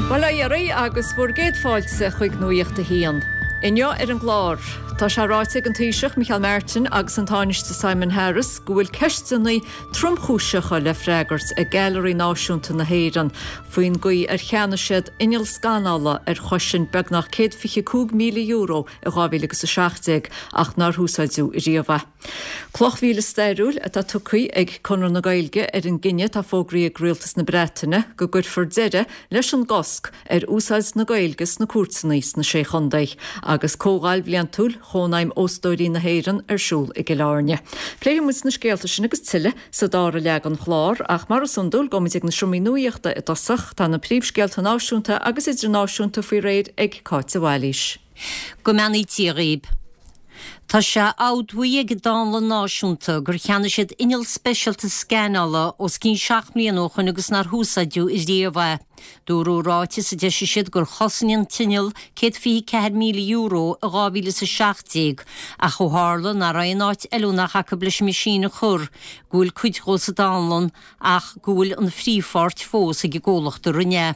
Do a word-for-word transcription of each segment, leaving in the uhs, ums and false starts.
Bail ó Dhia oraibh agus bhur gcéad fáilte chuig Nuacht a hAon. Inniu ar an gclár, Tá sé ráite ag an Taoiseach Micheál Martin agus an Tánaiste Simon Harris go bhfuil ceisteanna tromchúiseacha le freagairt ag Gailearaí Náisiúnta na hÉireann faoin gcaoi ar cheannaigh siad inneall scanála ar chosain beagnach céad fiche cúig míle euro i dhá mhíle agus a seacht déag ach nár úsáideadh riamh é. Cloch mhíle stairiúil atá tugtha ag Conradh na Gaeilge ar an gcinneadh atá fógraithe ag Rialtas na Breataine go gcuirfear deireadh leis an gcosc ar úsáid na Gaeilge sna cúirteanna sna Sé Chontae agus comhdháil bhliantúil Chónaidhm Óstóirí na hÉireann ar siúl i gCill Airne. Pléifidh muid na scéalta sin agus tuilleadh sa dara leath den chlár ach mar is iondúil gabhfaimid ag na seomraí nuachta i dtosach tá na príomhscéalta náisiúnta agus idirnáisiúnta faoi réir ag Cáit de Bhailís. Go mbeannaí Dia dhaoibh. Tá sé admhaithe ag an Dánlann Náisiúnta gur cheannaigh siad inneall speisialta scanála os cionn seacht mbliana ó shoin agus nár húsáideadh riamh é. Dúradh i ráiteas a d'eisigh siad gur chosain an t-inneall céad fiche ceathair míle euro i dhá mhíle is a seacht déag ach ó tharla nach raibh aon áit fheiliúnach acu leis an meaisín a chur, go bhfuil cuid dhó sa dánlann ach go bhfuil an phríomhpháirt fós ag an gcomhlacht a rinne é.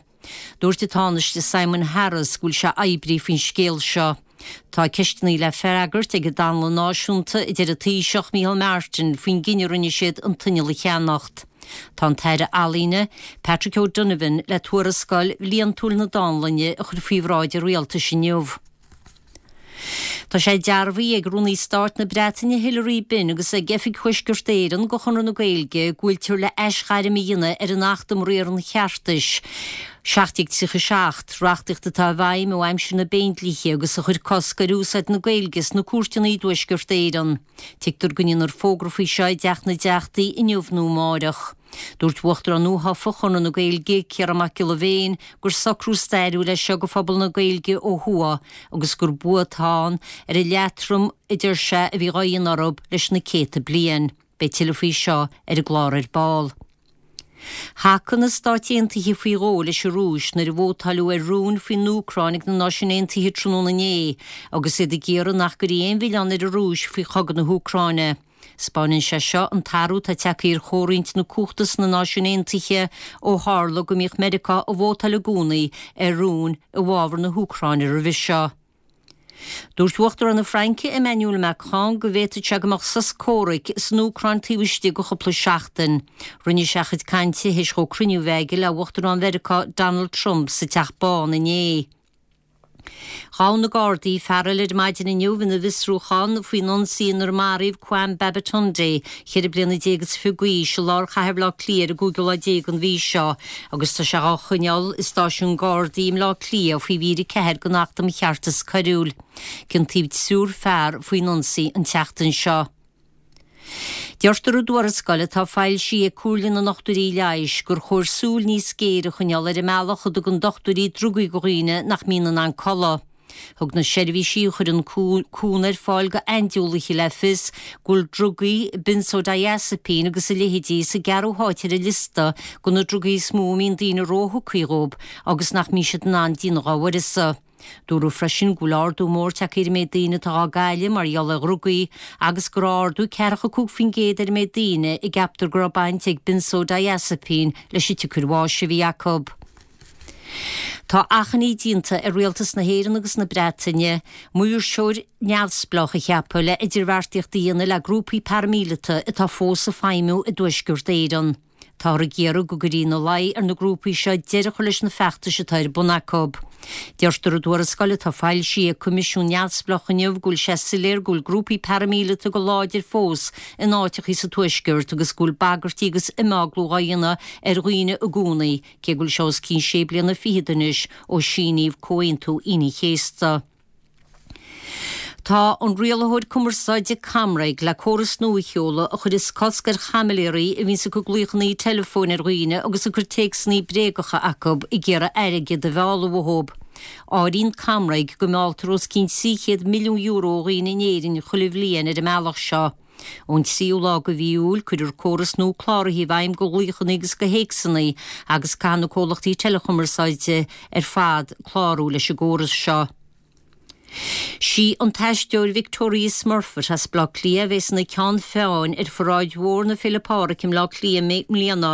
Dúirt an Tánaiste Simon Harris go bhfuil sé oibrithe faoin scéal seo. Tá ceisteanna le freagairt ag an Dánlann Náisiúnta, a deir an Taoiseach Micheál Martin faoin gcinneadh a rinne siad an t-inneall a cheannacht. Tá an tAire Ealaíne, Patrick O'Donovan, le tuarascáil bhliantúil na Dánlainne a chur faoi bhráid an rialtais inniu. Tá sé dearbhaithe ag Rúnaí Stáit na Breataine Hilary Benn agus ag Oifig Thuaisceart Éireann de Chonradh na Gaeilge go bhfuiltear le aisghairm a dhéanamh ar an Acht um Riar an Cheartais, seacht déag tríocha seacht, reachtaíocht atá i bhfeidhm ó aimsir na bPéindlíthe agus a chuir cosc ar úsáid na Gaeilge sna cúirteanna i dTuaisceart Éireann. Tuigtear go ndéanfar fógra faoi seo i dTeach na dTeachtaí inniu nó amárach. Dúirt Uachtarán nuathofa Chonradh na Gaeilge, Ciarán Mac Giolla Bhéin, gur socrú stairiúil é seo do phobal na Gaeilge ó thuaidh agus gur bua atá ann ar an leatrom a deir sé a bhí á dhéanamh orthu leis na céadta bliain. Beidh tuilleadh faoi seo ar an gclár ar ball. Thacaigh na Stáit Aontaithe faoi dhó leis an Rúis nuair a vótáileadh ar rún faoin Úcráin ag na Náisiúin Aontaithe tráthnóna inné agus iad ag iarraidh nach gcuirfí aon mhilleán ar an Rúis faoi chogadh na hÚcráine. Spáineann sé seo an t-athrú atá tagtha ar chomhroinnt na cumhachta sna Náisiúin Aontaithe ó tharla go mbíodh Meiriceá ag vótáil i gcónaí ar rúin i bhfabhar na hÚcráine roimhe seo. Dúirt Uachtarán na Fraince Emmanuel Macron go bhféadfadh sé go mbeadh sos comhraic san Úcráin taobh istigh de chúpla seachtain. Rinne sé a chuid cainte théis dhó cruinniú a bheith aige le Uachtarán Mheiriceá Donald Trump sa Teach Bán inné. Ghabh na Gardaí fear eile ar maidin inniu ina bhfiosrúchán faoin ionsaí inar maraíodh Kwame Babatunde, ceithre bliana déag is fiche d'aois, i lár chathair Bhaile Átha Cliath ar an gcúigiú lá déag den mhí seo agus tá sé á choinneáil i stáisiún Gardaí i mBaile Átha Cliath faoi mhír a ceathair den Acht um Cheartas Coiriúil. Ciontaíodh triúr fear faoin ionsaí an tseachtain seo. Deirtear i dtuarascáil atá foilsithe ag Comhairle na nDochtúirí Leighis gur chóir súil níos géire a choinneáil ar an mbealach a dtugann dochtúirí drugaí do dhaoine nach mbíonn in ann codladh. Thug na seirbhísí a chuireann cúnamh ar fáil d'aindiúlaithe le fios go bhfuil drugaí benzodiazepine agus a leithéidí sa gceathrú háit ar an liosta de na drugaí is mó a mbíonn daoine róthugtha dhóibh agus nach mbíonn siad in ann déanamh dá uireasa. Dúradh freisin go bhfuil ardú mór tagtha ar an méid daoine atá á gcailleadh mar gheall ar dhrugaí agus go raibh ardú ceathracha cúig faoin gcéad ar an méid daoine a gceaptar go raibh baint ag benzodiazepine leis an tsiocair bháis a bhí acu. Tá achainí déanta ar Rialtas na hÉireann agus na Breataine maoirseoir neamhspleách a cheapadh le idirbheartaíocht a dhéanamh le grúpaí paraimíleata atá fós ag feidhmiú i dTuaisceart Éireann. Táthar ag iarraidh go gcuirfí ina luí ar na grúpaí seo deireadh a chur leis na feachtais atá ar bun acu. Deirtear i dtuarascáil atá foilsithe ag coimisiún neamhspleách inniu go bhfuil sé soiléir go bhfuil grúpaí paraimíleata go láidir fós in áiteachaí sa Tuaisceart agus go bhfuil bagairtí agus imeaglú á dhéanamh ar dhaoine i gcónaí, cé go bhfuil sé os cionn sé bliana fichead anois ó síníodh Comhaontú Aoine an Chéasta. Tá an rialaitheoir cumarsáide ComReg le córas nua a sheoladh a chuirfeas cosc ar chaimiléirí a bhíonns ag cur glaochanna teileafóin ar dhaoine agus ag cur téacsanna bréagacha acu ag iarraidh airgead a mhealladh uathu. Áiríonn ComReg go mealltar os cionn trí chéad milliún euro ó dhaoine in Éirinn chuile bhliain ar an mbealach seo. Ón tríú lá de mhí Iúil cuirfear córas nua cláraithe i bhfeidhm do ghlaochanna agus do théacsanna agus caithfidh na comhlachtaí teileachumarsáide ar fad clárú leis an gcóras seo. Sí an t-aisteoir Victoria Smurfit as Bleá Cliath a bheas ina ceann feadhain ar pharáid mhór na Féile Pádraig i mBleá Cliath i mbliana.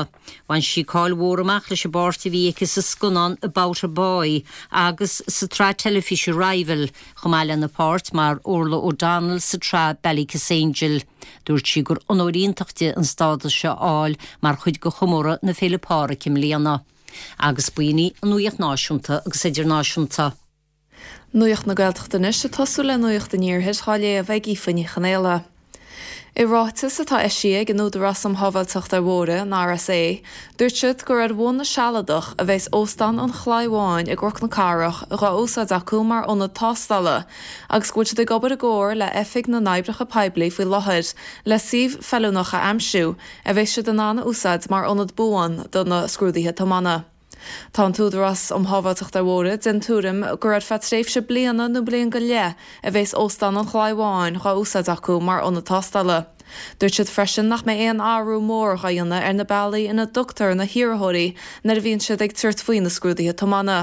Bhain sí cáil mhór amach leis an bpáirt a bhí aici sa scannán About a Boy agus sa tsraith teilifíse Rival, chomh maith lena páirt mar Orla O'Donnell sa tsraith Ballykissangel. Dúirt sí gur onóir iontach di an stádas seo a fháil mar chuid de chomóradh na Féile Pádraig i mbliana. Agus b'in í an nuacht náisiúnta agus idirnáisiúnta. Nuacht na Gaeltachta anois ag tosú le nuacht an iarthair á léamh ag Aoife Ní Chonaola. I ráiteas atá eisithe ag an Údarás um Shábháilteacht ar Bhóithre an RSA, dúirt siad gur ar bhonn sealadach a bheas Óstán an Chlaí Bháin i gCnoc na Cathrach dhá úsáid acu mar ionad tástála, agus go bhfuil siad ag obair i gcomhar le Oifig na nOibreacha Poiblí faoi láthair le suíomh feiliúnach a aimsiú a bheas siad in ann a úsáid mar ionad buan do na scrúduithe tiomána. Tá an tÚdarás um Shábháilteacht ar Bhóithre den tuairim gur ar feadh tréimhse bliana nó bliain go leith a bheas Óstán an Chlaí Bháin dhá úsáid acu mar ionad tástála. Dúirt siad freisin nach mbeidh aon athrú mór á dhéanamh ar na bealaí ina dtugtar na hiarrthóirí nuair a bhíonn siad ag tabhairt faoi na scrúduithe tiomána.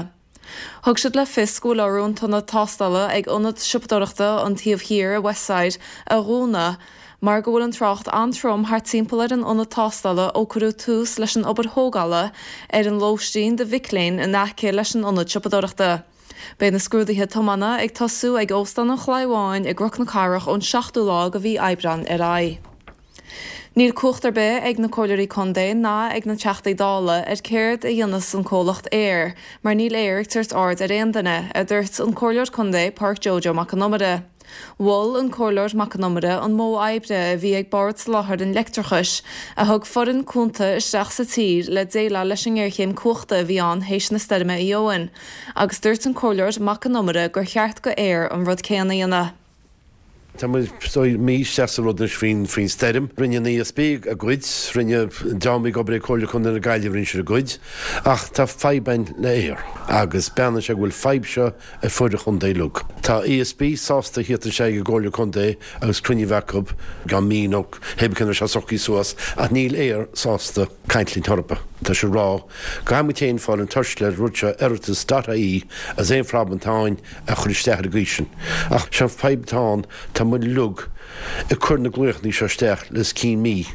Thug siad le fios go bhfuil orthu an t-ionad tástála ag ionad siopadóireachta an taobh thiar i Westside a dhúnadh mar go bhfuil an trácht an-trom thart timpeall ar an ionad tástála ó cuireadh tús leis an obair thógála ar an lóistín do mhic léinn in aice leis an ionad siopadóireachta. Beidh na scrúduithe tiomána ag tosú ag Óstán an Chlaí Bháin i gCnoc na Cathrach ón seachtú lá de mhí Aibreáin ar aghaidh. Níl cumhacht ar bith ag na comhairleoirí contae ná ag na teachtaí dála ar céard a dhéanfas an comhlacht Eir, mar níl Eir ag tabhairt aird ar aon duine, a dúirt an comhairleoir contae Pádraic Joe Joe Mac Con Iomaire. Mhol an comhairleoir Mac Con Iomaire an modh oibre a bhí ag Bord Soláthair an Leictreachais a thug foireann cúnta isteach sa tír le déileáil leis an ngéarchéim cumhachta a bhí ann théis na stoirme Éowyn, agus dúirt an comhairleoir Mac Con Iomaire gur cheart do Eir an rud céanna a dhéanamh. Tá muid mí isteach sa rud anois faoin faoin stoirm. Rinne an ESB a gcuid, rinne dream ag obair ag Comhairle Contae na Gaillimhe rinne siad a gcuid, ach tá fadhb ann le Eir agus beanna sé go bhfuil fadhb seo ar fud an chontae uilig. Tá ESB sásta theacht isteach i gComhairle Contae agus cruinniú acu gan mí nó hécan se sochaí suas ach níl Eir sásta caint linn torpa. Tá sé rá go chéin fáil an tuisle rud seo oireachtas dot ie as aon phroblam táin a chur isteach ar gcuisin. Ach sé fadhb atá tá muid uilig ag cur na glaochanna seo isteach le cinn mí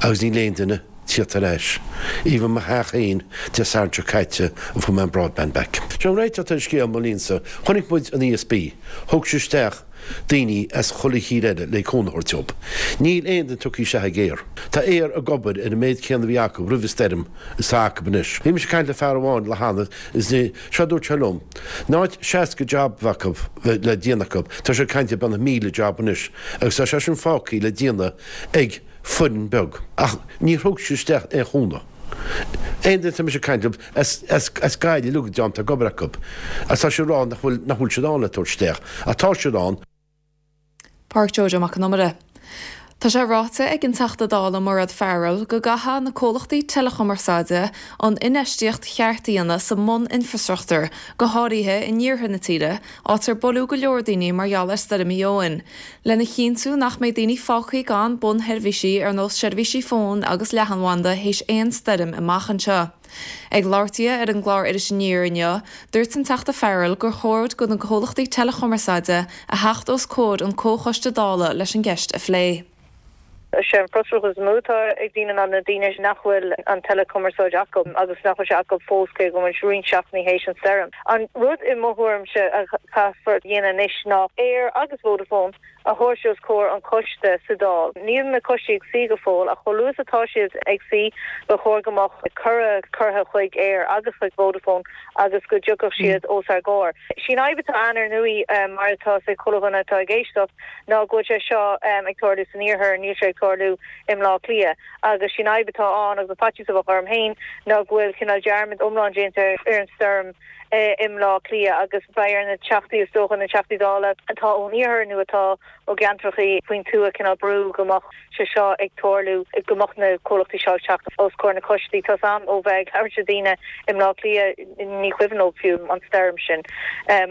agus níl aon duine tíocht ar ais. Even mo theach féin Dé Sathairn seo caite an fuair mé an broadband back. Seo réiteach ar scéal mo línsa, chonaic muid an ESB, thug sé isteach daoine as chuile thír eile le cónaitheoir job. Níl aon duine tugtha isteach ag Eir. Tá Eir ag obair ar an méid céanna a bhí acu roimh an stoirm is tá acu anois. Bhí mise ag caint le fear amháin le hana is ní seo dúirt sé liom. In áit seasca job acu le déanamh acu, tá sé ag caint ar beagnach míle job anois, agus tá sé sin fágtha le déanamh ag foireann beag. Ach ní thug sé isteach aon chúnamh. Aon duine tá mise ag caint leo as as as Gaillimh uilig déanta ag obair acu. Agus tá sé rá nach bhfuil nach bhfuil siad ann le tabhairt isteach. Ach tá siad ann. Pádraic Joe Joe Mac Con Iomaire. Tá sé ráite ag an Teachta Dála Mairéad Farrell go gcaithfidh na comhlachtaí teileachumarsáide an infheistíocht cheart a dhéanamh sa mbun-infreastruchtúr, go háirithe in iarthar na tíre, áit ar buaileadh go leor daoine mar gheall ar stoirm Éowyn, lena chinntiú nach mbeidh daoine fágtha gan bunsheirbhísí ar nós seirbhísí fóin agus leathanbhanda théis aon stoirm amach anseo. Ag labhairt di ar an gclár Iris Aniar inniu, dúirt an Teachta Farrell gur chóir do na comhlachtaí teileachumarsáide a theacht os comhair an Comhchoiste Dála leis an gceist a phlé. sé an frustrachas is mó atá ag daoine ná na daoine nach bhfuil an teileachumarsáid acu agus nach bhfuil sé acu fós cé go bhfuil roinnt seachtainí théis an stoirm. An rud i mo thuairimse a chaithfear dhéanamh anois ná Eir agus Vodafone a thabhairt os comhair an choiste sa Dáil. Níl na coistí ag suí go fóill ach chomh luath is atá siad ag suí ba chóir go mbeadh cuireadh curtha chuig Eir agus chuig Vodafone agus go dtiocfadh siad os ár gcomhair. Sin fhadhb atá ann ar ndóigh mar atá ag chuile dhuine atá ag éisteacht ná go bhfuil sé seo ag tarlú san iarthar níl sé ag tarlú i mBleá Cliath agus sin fhadhb atá ann agus faitíos a bheadh orm féin ná go bhfuil cineál dearmad iomlán déanta ar an stoirm i mBleá Cliath agus beidh ar na teachtaí is dócha na teachtaí dála atá ón iarthar nó atá ó gceantracha faoin tuath cineál brú go mbeadh sé seo ag tarlú go mbeadh na comhlachtaí seo ag teacht os comhair na coistí. Tá am ó bheith ag labhairt le daoine i mBleá Cliath ní cuimhin leo fiú an stoirm sin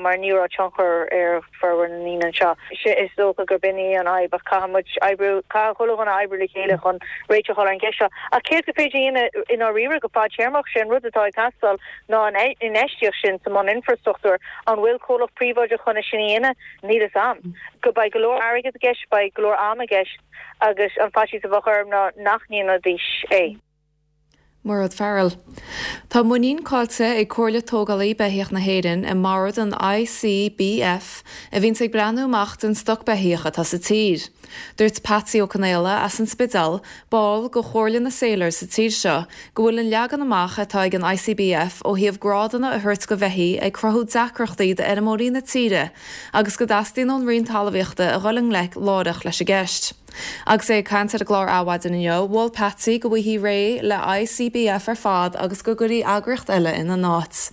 mar ní raibh tionchar ar formhór na ndaoine anseo. Is dócha gur b'in í an fhadhb ach caithfidh muid oibriú caithfidh chuile dhuine oibriú le chéile chun réiteach a fháil ar an gceist seo. Ach céard gur féidir a dhéanamh i ndáiríre go fadtéarmach sé an rud atá ag teastáil ná an infheistíocht sin sa mbun-infrastruchtúr. An bhfuil comhlacht príobháideach chun é sin a dhéanamh? Níl fhios a'm. Go beidh go leor airgead i gceist, beidh go leor ama i gceist agus an faitíos a bheadh orm ná nach ndéanfaidís é. Mairéad Farrell. Tá muinín caillte ag Comhairle Tógálaí Beithíoch na hÉireann i mbord an ICBF a bhíonns ag breathnú amach den stoc beithíoch atá sa tír. Dúirt Patsy Ó Conaola as an Spidéal, ball de Chomhairle na Salers sa tír seo, go bhfuil an leagan amach atá ag an ICBF ó thaobh grádanna a thabhairt do bheithígh ag cruthú deacrachtaí d'fheirmeoirí na tíre agus go dteastaíonn ón Roinn Talmhaíochta a dhul i ngleic láithreach leis an gceist. Agus é ag caint ar an gclár Adhmhaidin inniu, mhol Patsy go bhfaighfí réidh le ICBF ar fad agus go gcuirfí eagraíocht eile ina n-áit.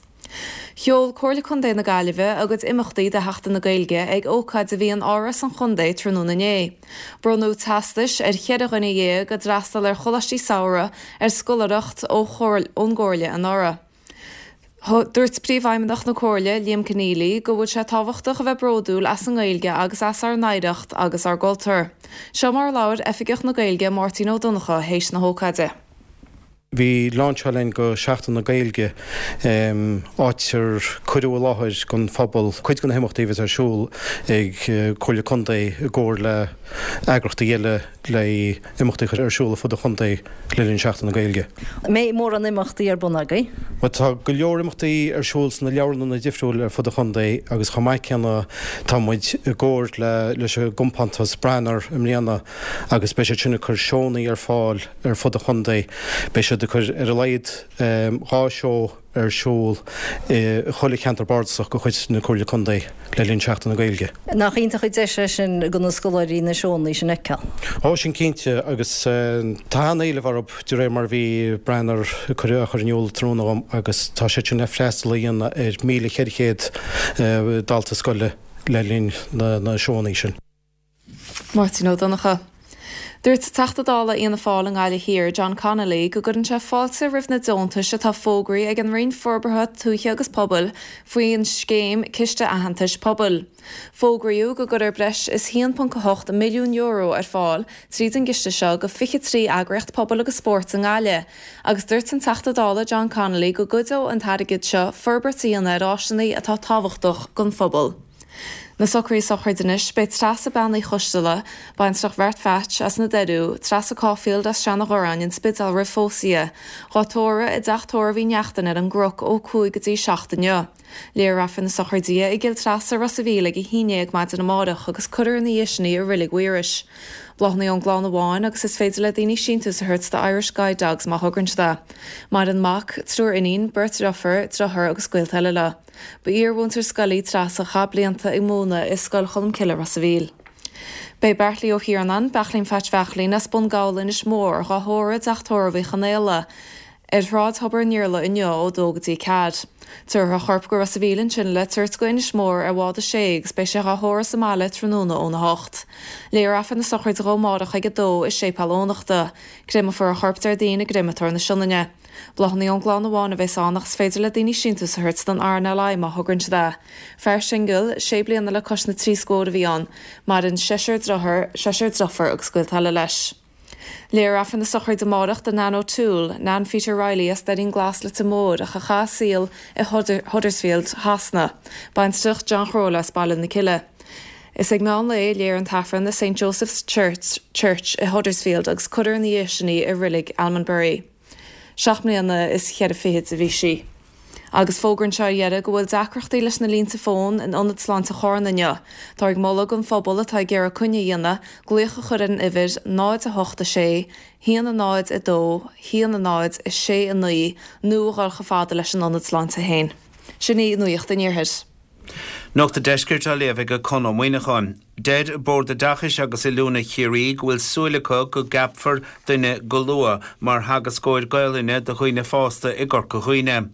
Sheol Comhairle Contae na Gaillimhe a gcuid imeachtaí do Sheachtain na Gaeilge ag ócáid a bhí in Áras an Chontae tráthnóna inné. Bronnadh teastais ar cheithre dhuine dhéag a d'fhreastail ar choláistí samhraidh ar scoláireacht ó ón gComhairle anuraidh. Dúirt Príomhfheidhmeannach na Comhairle, Liam Conneally, go bhfuil sé tábhachtach a bheith bródúil as an nGaeilge agus as ár n-oidhreacht agus ár gcultúr. Seo mar a labhair Oifigeach na Gaeilge Máirtín Ó Donnchadha théis na hócáide. Bhí lainseáil againn go Seachtain na Gaeilge áit ar cuireadh i láthair don phobal cuid de na himeachtaí a bheas ar siúl ag Comhairle Contae i gcomhar le eagraíochtaí eile le imeachtaí a chur ar siúl ar fud an chontae le linn Seachtain na Gaeilge. An mbeidh mórán imeachtaí ar bun agaibh? Bhuel tá go leor imeachtaí ar siúl sna leabharlanna difriúil ar fud an chontae agus chomh maith céanna tá muid i gcomhar le leis an gcompántas Branar i mbliana agus beidh siad sin ag cur seónna ar fáil ar fud an chontae. Beidh siad ag cur ar a laghad dhá seó ar siúl i chuile cheantar bardasach de chuid na Comhairle Contae le linn Seachtain na Gaeilge. Nach iontach an deis é sin do na scoláirí na seónna sin a fheiceáil? Ó sin cinnte agus tá an-éileamh orthu de réir mar a bhí Branar ag cur á chur in iúl tráthnóna dhom agus tá siad sin le freastal a dhéanamh ar míle ceithre chéad dalta scoile le linn na seónna sin. Máirtín Ó Donnchadha. Dúirt Teachta Dála Fhianna Fáil i nGaillimh Thiar, John Connolly, go gcuireann sé fáilte roimh na deontais atá fógraithe ag an Roinn Forbartha Tuaithe agus Pobail faoin scéim Ciste Aitheantais Pobail. Fógraíodh go gcuirfear breis is haon ponc a hocht milliún euro ar fáil tríd an gciste seo go fiche trí eagraíocht pobail agus spóirt i nGaillimh, agus dúirt an Teachta Dála John Connolly go gcuideodh an t-airgead seo forbairt a dhéanamh ar áiseanna atá tábhachtach don phobal. Na socruithe sochraide anois, beidh Treasa Bean Uí Choisteala, baintreach Bheart Pheait as na Doiriú, Treasa Caulfield as Seanadh Ghoráin, an Spidéal roimh phósadh di, dhá tórramh i dteach tórraimh Uí Neachtain ar an gCnoc ó cúig go dtí seacht inniu. Léifear Aifreann na sochraide i gCill Treasa, Ros a' Mhíl ag a haon déag maidin amárach agus cuirfear ina dhiaidh sin í i Reilig Mhaorais. Bláthanna ón gclann amháin agus is féidir le daoine síntiús a thabhairt do Irish Guide Dogs má thograíonn siad é. Maireann mac, triúr iníon, beirt dheirfiúr, deartháir agus gaolta eile leo. Ba iar-mhúinteoir scoile í Treasa a chaith blianta ag múineadh i Scoil Cholmcille, Ros a' Mhíl. Beidh Beairtlí Ó hIarnáin, Beachlín Pheait Bheachlín as Bun Gabhla, Inis Mór, dhá thórramh i dteach tórraimh Uí Chonaola, ar Shráid Thobar an Iarla inniu ó dó go dtí ceathair. Tabharfar a chorp go Ros a' Mhíl ansin le tabhairt go Inis Mór ar bhád a sé agus beidh sé dhá thórramh sa mbaile tráthnóna óna hocht. Léifear Aifreann na sochraide dhó amárach ag a dó i Séipéal Eoghanachta. Créamfar a chorp Déardaoin i gCréamatóir na Sionainne. Bláthanna ón gclann amháin a bheas ann ach is féidir le daoine síntiús a thabhairt don RNLI má thograíonn siad é. Fear singil, sé bliana le cois na trí scór a bhí ann. Maireann seisear deartháir, seisear deirfiúr agus gaolta eile leis. Léifear Aifreann na sochraide amárach do Nan O'Toole, Nan Pheter Riley as Doirín Glas Leitir Móir ach a chaith a saol i Huddersfield, Shasana. Baintreach John Chróile as Baile na Cille. Is ag meán lae a léifear an tAifreann i St Joseph's Church, Church i Huddersfield agus cuirfear ina dhiaidh sin í i Reilig Almondbury. Seacht mbliana is cheithre fichid a bhí sí. Agus fógra anseo ar dheireadh go bhfuil deacrachtaí leis na línte fóin in Ionad Sláinte Chárna inniu. Táthar ag moladh don phobal atá ag iarraidh coinne a dhéanamh, glaoch a chur ar an uimhir náid a hocht a sé, haon a náid a dó, haon a náid a sé a naoi nó a dhul chomh fada leis an Ionad Sláinte féin. Sin í Nuacht an Iarthair. Nuacht an Deiscirt á léamh ag Conn Ó Muíneacháin. Deir Bord Oideachais agus Oiliúna Chiarraí go bhfuil súil acu go gceapfar duine go luath mar theagascóir Gaelainne do dhaoine fásta i gCorca Dhuibhne.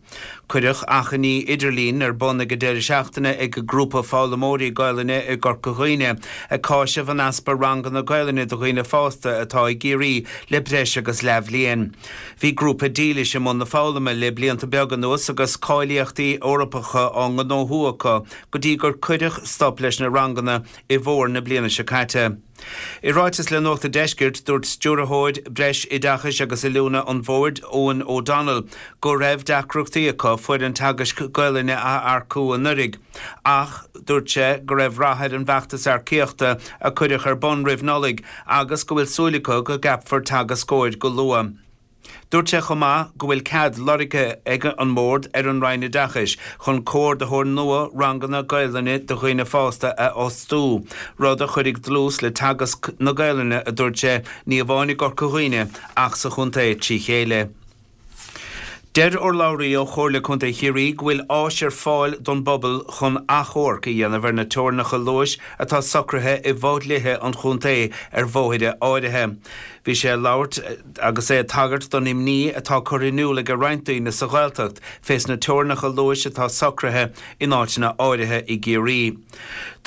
Cuireadh achainí idirlín ar bun ag an deireadh seachtaine ag grúpa foghlaimeoirí Gaelainne i gCorca Dhuibhne ag cáiseamh an easpa ranganna Gaelainne do dhaoine fásta atá i gCiarraí le breis agus leathbhliain. Bhí grúpa dílis i mbun na foghlama le blianta beaga anuas agus cáilíochtaí Eorpacha á ngnóthú acu go dtí gur cuireadh stop leis na ranganna i bhfómhar na bliana seo caite. I ráiteas le Nuacht an Deiscirt, dúirt Stiúrthóir Breisoideachais agus Oiliúna an Bhoird, Eoghan O'Donnell, go raibh deacrachtaí acu foireann teagaisc Gaelainne a earcú anuraidh, ach dúirt sé go raibh rath ar an bhfeachtas earcaíochta a cuireadh ar bun roimh Nollaig agus go bhfuil súil acu go gceapfar teagascóir go luath. Dúirt sé chomh maith go bhfuil cead lorgtha ag an mBord ar an Roinn Oideachais chun comhordaitheoir nua ranganna Gaelainne do dhaoine fásta a fhostú, rud a chuirfidh dlús le teagasc na Gaelainne, a dúirt sé, ní amháin i gCorca Dhuibhne ach sa chontae trí chéile. Deir urlabhraí ó Chomhairle Contae Chiarraí go bhfuil áis ar fáil don bpobal chun achomharc a dhéanamh ar na teorainneacha luais atá socraithe i bhfodhlíthe an chontae ar bhóithre áirithe. Bhí sé ag labhairt agus é ag tagairt don imní atá curtha in iúl ag roinnt daoine sa Ghaeltacht fés na teorainneacha luais atá socraithe in áiteanna áirithe i gCiarraí.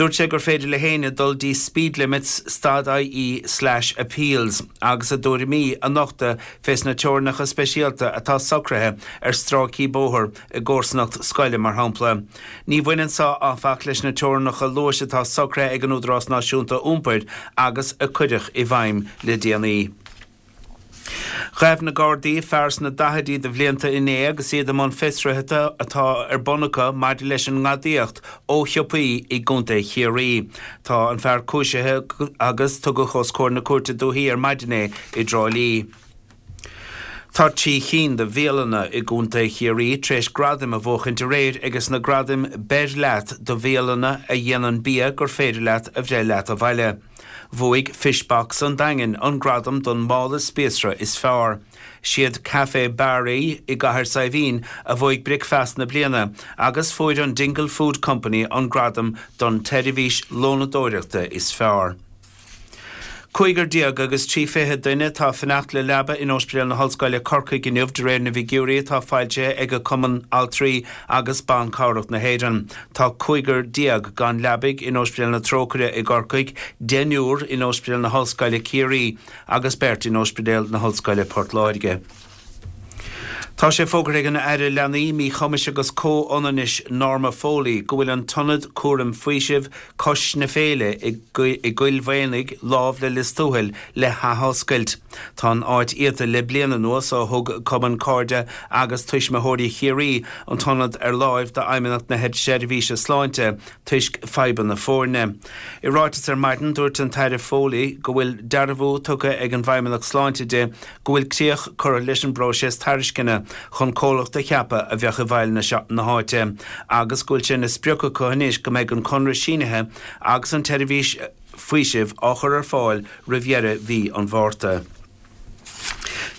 Dúirt sé gur féidir le héinne dul dtí speedlimits stad ie slash appeals agus a dtuairimí a nochtadh fés na teorainneacha speisialta atá socraithe ar stráicí bóthair i gcomharsanacht scoile mar shampla. Ní bhaineann seo áfach leis na teorainneacha luais atá socraithe ag an Údarás Náisiúnta Iompair agus a cuireadh i bhfeidhm le déanaí. Ghabh na Gardaí fear sna daichidí de bhlianta inné agus iad i mbun fiosruithe atá ar bun acu maidir leis an ngadaíocht ó shiopaí i gContae Chiarraí. Tá an fear cúisithe agus tugadh os comhair na Cúirte Dúichí ar maidin é i dTrá Lí. Tá trí chinn de bhialanna i gContae Chiarraí tar éis gradaim a bhuachaint aréir ages na gradaim Beir Leat do bhialanna a dhéanann bia gur féidir leat a bhreith leat abhaile. Bhuaigh Fish Box an Daingin an gradam don mála spíosra is fearr. Siad Café Barry i gCathair Saidhbhín a bhuaigh Bricfeasta na Bliana agus fuair an Dingle Food Company an gradam don tseirbhís lónadóireachta is fearr. Cúigear déag agus trí fiche duine atá ag fanacht le leaba in Ospidéal na hOllscoile Corcaigh inniu de réir na bhfigiúirí atá foilsithe ag Cumann Altraí agus Ban Cabhrach na hÉireann. Tá cúigear déag gan leabaidh in Ospidéal na Trócaire i gCorcaigh, deichniúr in Ospidéal na hOllscoile Ciarraí agus beirt in Ospidéal na hOllscoile Port Láirge. Tá sé fógartha ag an Aire Leanaí, Míchumais agus Comhionannais Norma Foley go bhfuil an tIonad Cúraim Faoisimh Cois na Féile i gCoill Mhaonaigh lámh le Lios Tuathail le hathoscailt. Tá an áit iata le bliain anuas ó thug Cumann Cairde agus Tuismitheoirí Chiarraí an t-ionad ar láimh d'Fheidhmeannacht na Seirbhíse Sláinte toisc fadhbanna foirne. I ráiteas ar maidin dúirt an tAire Foley go bhfuil dearbhú tugtha ag an bhFeidhmeannacht Sláinte di go bhfuil críoch curtha leis an bpróiseas tairisceana chun comhlacht a cheapadh a bheadh i bhfeighil na háite agus go bhfuil sé ina sprioc acu anois go mbeidh an conradh sínithe agus an tseirbhís faoisimh á chur ar fáil roimh dheireadh mhí an Mhárta.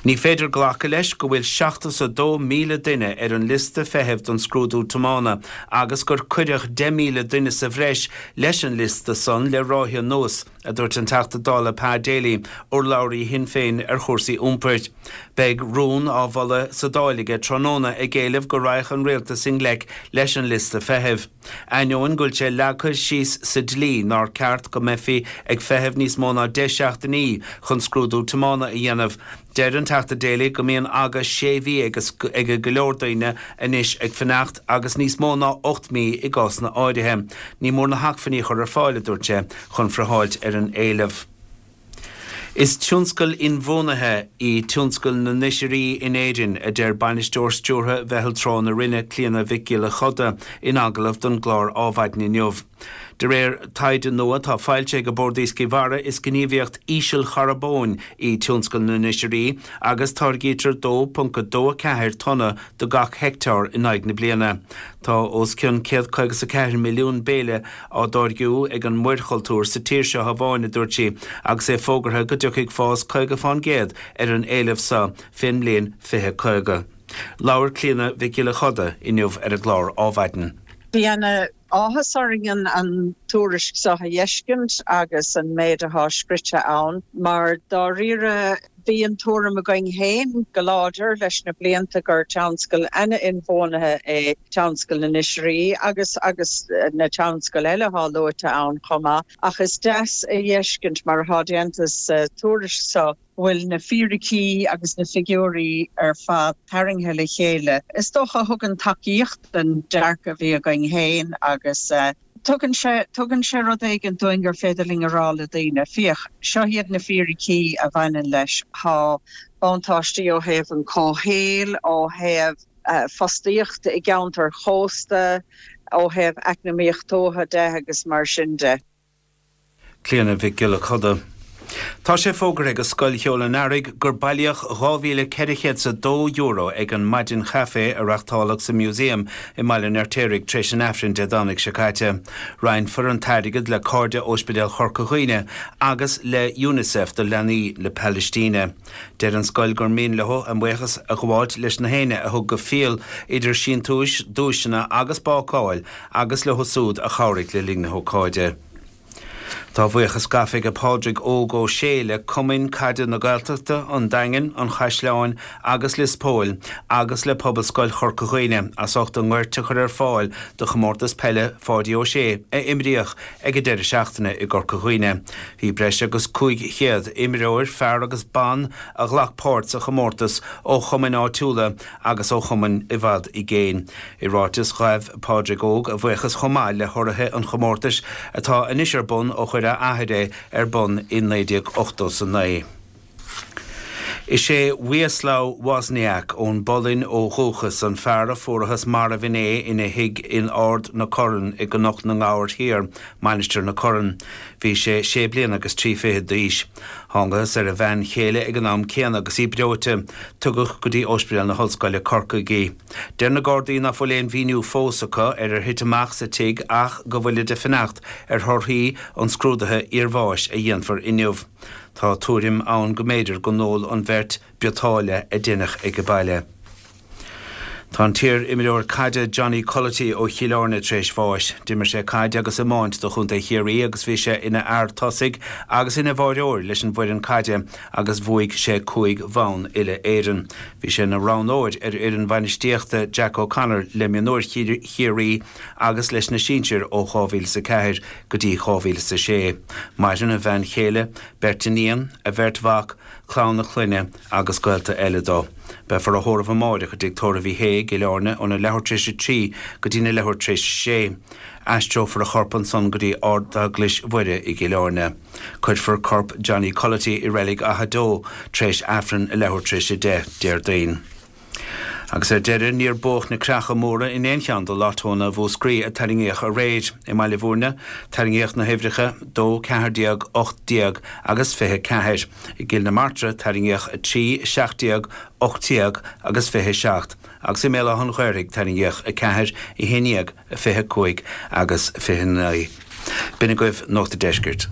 Ní féidir glacadh leis go bhfuil seachtó 's a dó míle duine ar an liosta feithimh don scrúdú tiomána agus gur cuireadh deich míle duine sa bhreis leis an liosta san le ráithe anuas, a dúirt an Teachta Dála Pa Daly, urlabhraí Shinn Féin ar chúrsaí iompair. Beidh rún á mholadh sa Dáil aige tráthnóna ag éileamh go raghadh an Rialtas i ngleic leis an liosta feithimh. Ainneoin go bhfuil sé leagtha síos sa dlí nár ceart go mbeifí ag feitheamh níos mó ná deich seachtainí chun scrúdú tiomána a dhéanamh, deir an Teachta Daly go mbíonn aga sé mhí ag go leor daoine anois ag fanacht agus níos mó ná ocht mí i gcásanna áirithe. Ní mór na hacmhainní a chur ar fáil, a dúirt sé, chun friotháilt ar an éileamh. Is tionscal inbhuanaithe í tionscal na n-oisrí in Éirinn, a deir Bainisteoir Stiúrtha Mheitheal Trá na Rinne, Clíona Mhic Giolla Choda, in agallamh don gclár Ádhmhaidin inniu. De réir taighde nua atá foilsithe ag Bord Iascaigh Mhara, is gníomhaíocht ísealcharbóin í tionscal na n-oisrí agus táirgítear dó ponc a dó a ceathair tonna do gach heicteár in aghaidh na bliana. Tá os cionn céad caoga 's a ceathair milliún béile á dtáirgiú ag an muirchultúr sa tír seo amháin, a dúirt sí, agus é fógartha go dtiocfaidh fás caoga fán gcéad ar an éileamh seo fén mbliain fiche caoga. Labhair Clíona Mhic Giolla Choda inniu ar an gclár Ádhmhaidin. Bhí ana áthas orainn an tuairisc seo a fheiscint agus an méid atá scrite ann, mar dáiríre bhí an tuairim againn féin go láidir leis na blianta gur tionscal an-inbhuanaithe é tionscal na n-oisrí agus agus na tionscail eile atá luaite ann chomh maith, ach is deas a fheiscint mar atá déanta sa tuairisc seo go bhfuil na fíricí agus na figiúirí ar fad tarraingthe le chéile. Is dócha a thugann tacaíocht don dearcadh a bhí againn féin agus. Tugann sé tugann sé rud éigin dúinn gur féidir linn a rá le daoine, féach, seo iad na fíricí a bhaineann leis, tá buntáistí ó thaobh an comhshaoil, ó thaobh fostaíocht i gceantair chósta, ó thaobh eacnamaíocht tuaithe de agus mar sin de. Clíona Mhic Giolla Coda. Tá sé fógartha ag Scoil Cheoil an Earraigh gur bailíodh dhá mhíle ceithre chéad is a dó euro ag an maidin chaife a reáchtáladh sa Museum i mBaile an Fheirtéaraigh tar éis an Aifrinn Dé Domhnaigh seo caite. Roinnfear an t-airgead le Cairde Ospidéal Chorca Dhuibhne agus le UNICEF do leanaí na Palaistíne. Deir an scoil gur mian leo a mbuíochas a ghabháilt leis na héinne a thug go fial idir síntiúis, duaiseanna agus bácáil agus leo súd a chabhraigh le linn na hócáide. Tá a bhuíochas gafa ag Pádraig Óg Ó Sé le Cumainn Caide na Gaeltachta, an Daingin, an Chaisleáin agus Lios Póil agus le Pobalscoil Chorca Dhuibhne as ucht a ngoirt a chur ar fáil do chomórtas peile Pháidí Ó Sé a imríodh ag an deireadh seachtaine i gCorca Dhuibhne. Bhí breis agus cúig chéad imreoir, fear agus ban, a ghlac páirt sa chomórtas ó chumainn áitiúla agus ó chumainn i bhfad i gcéin. I ráiteas ghabh Pádraig Óg a bhuíochas chomh maith le hurraithe an chomórtais atá anois ar bun ó chuir a athair é ar bun i naoi déag ochtó is a naoi. Is é Wieslaw Wozniak ón bPolainn ó dhúchas an fear a fuarathas marbh inné ina thigh in Ard na Corann i gCnoc na nGabhar Thiar, Mainistir na Corann. Bhí sé sé bliana agus trí fichid d'aois. Thángathas ar a bhean chéile ag an am céanna agus í breoite. Tugadh go dtí Ospidéal na hOllscoile, Corcaigh í. Deir na Gardaí ná fuil aon mhíniú fós acu ar ar thit amach sa tigh ach go bhfuilid ag fanacht ar thorthaí an scrúdaithe iarbháis a dhéanfar inniu. Tá tuairim ann go mb'fhéidir go n-ól an bheirt biotáille a deineadh ag baile. Tá an t-iar-imreoir caide Johnny Culloty ó Chill Airne tar éis bháis. D'imir sé caid agus iomáint do chontae Chiarraí agus bhí sé ina fhear tosaigh agus ina bháireoir leis an bhfoireann caide agus bhuaigh sé cúig bhonn uile-Éireann. Bhí sé ina roghnóir ar fhoireann bhainistíochta Jack O'Connor le mionúir Chiarraí agus leis na sinsir ó dhá mhíle is a ceathair go dtí dhá mhíle is a sé. Maireann a bhean chéile, beirt iníon, a bheirt mhac, clann a chlainne agus gaolta eile dó. Beifear á thórramh amáireach i dtigh tórraimh Uí Shé i gCill Airne óna leathuair tar éis a trí go dtína leathuair tar éis a sé. Aistreofar a chorp ansan go dtí Ardeaglais Mhuire i gCill Airne. Cuirfear corp Johnny Culloty i reilig Achadh Deo tar éis Aifreann a leathuair tar éis a deich Déardaoin. Agus ar deireadh, níor buadh na creacha móra in aon cheann de lottónna Mhúscraí a tarraingíodh aréir. I mBaile Bhúirne, tarraingíodh na huimhreacha dó, ceathair déag, ocht déag agus fiche ceathair. I gCill na Martra, tarraingíodh a trí, seacht déag, ocht déag agus fiche seacht. Agus i mBéal Átha an Ghaorthaidh, tarraingíodh a ceathair, a haon déag, fiche cúig agus fiche naoi. B'in agaibh Nuacht an Deiscirt.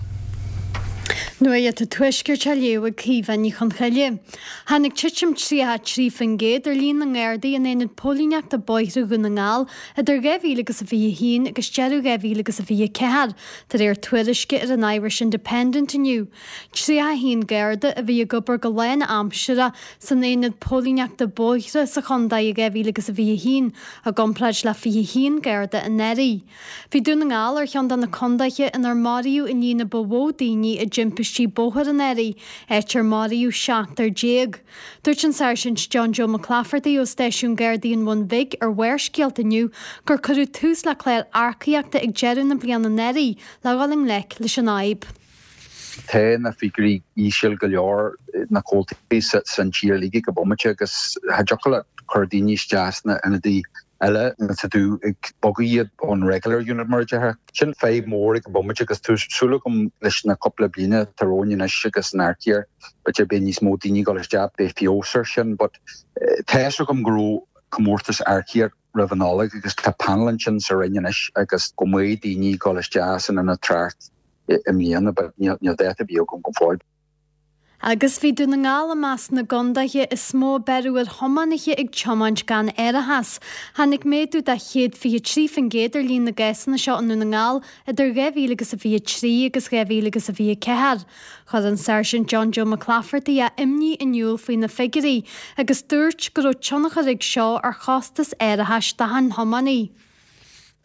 Nuacht an Tuaiscirt á léamh ag Caoimhe Ní Chonchoille. Tháinig titim tríocha a trí faoin gcéad ar líon na nGardaí in Aonad Póilíneachta Bóithre Dhún na nGall idir dhá mhíle agus a fiche a haon agus deireadh dhá mhíle agus a fiche a ceathair, de réir tuairisce ar an Irish Independent inniu. tríocha a haon Garda a bhí ag obair go lánaimseartha san Aonad Póilíneachta Bóithre sa chontae i dhá mhíle agus a fiche a haon, i gcomparáid le fiche a haon Garda anuraidh. Bhí Dún na nGall ar cheann de na contaetha inar maraíodh an líon a ba mhó daoine i dtimpistí bóthair anuraidh, áit ar maraíodh seachtar déag. Dúirt an Sáirsint John Joe McClafferty ó Stáisiún Gardaí an Bhun Bhig ar Bharrscéalta inniu gur cuireadh tús le clár earcaíochta ag deireadh na bliana anuraidh le dhul i ngleic leis an fhadhb. Tá na figiúirí íseal go leor, na comhaltaí san tír uilig ag an bomaite agus cha dtiocfadh leat cur daoine isteach sna ionadaí eile tá tú ag bogadh iad ón regular unit mar a déarfá. Sin fadhb mór ag an bomaite agus tá súil agam leis na cúpla bliana atá romhainn anois agus an earcaíocht b'fhéidir beidh níos mó daoine ag dul isteach beidh feabhas ar sin but tá fhios agam go raibh comórtas earcaíocht roimh an Nollaig agus tá panel ansin sa Roinn anois agus go mbeidh daoine ag dul isteach san ionad trácht i mbliana but níl dáta ar bith agam go fóill. Agus bhí Dún na nGall i measc na gcondaetha is mó a beireadh ar thiománaithe ag tiomáint gan árachas. Tháinig méadú de chéad fiche trí faoin gcéad ar líon na gcásanna seo i nDún na nGall idir dhá mhíle agus a fiche trí agus dhá mhíle agus a fiche ceathair. Chuir an Sáirsint John Joe McClafferty a imní in iúl faoi na figiúirí agus dúirt go raibh tionchar ag seo ar chostas árachais d'achan thiománaí.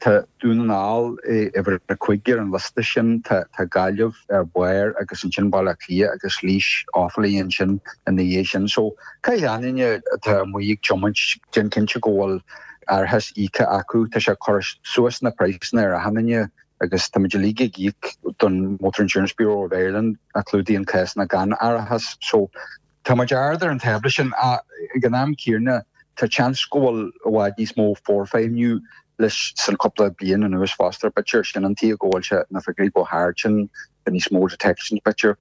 Tá Dún na nGall uimhir a cúig ar an liosta sin, tá Gaillimh ar barr agus ansin Baile Átha Cliath agus Laois, Offaly ansin ina dhiaidh sin. So caithfidh aon duine atá amuigh ag tiomáint déan cinnte go bhfuil árachas íoctha acu. Tá sé ag cur suas na praghsanna ar achan duine agus táimid uilig ag íoc don Motor Insurance Bureau of Ireland a chlúdaíonn cásanna gan árachas so tá muid ard ar an tábla sin ag an am céanna tá seans go bhfuil i bhfad níos mó forfheidhmiú leis san cúpla bliain anuas fosta b'fhéidir sin an tuige go bhfuil sé na figiúirí chomh hard sin níos mó detections b'fhéidir.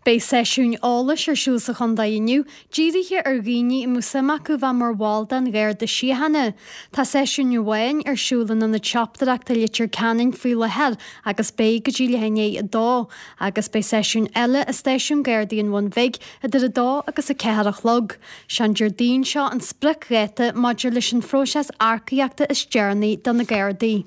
Beidh seisiún eolais ar siúl sa chontae inniu, dírithe ar dhaoine a mbeadh suim acu bheith mar bhall den Gharda Síochána. Tá seisiún amháin ar siúl in Ionad Siopadóireachta Leitir Ceanainn faoi láthair agus beidh go dtí leath i ndiaidh a dó, agus beidh seisiún eile i Stáisiún Gardaí an Bhun Bhig idir a dó agus a ceathair a chlog. Sé'n Déardaoin seo an spriocdháta maidir leis an phróiseas earcaíochta is deireanaí do na Gardaí.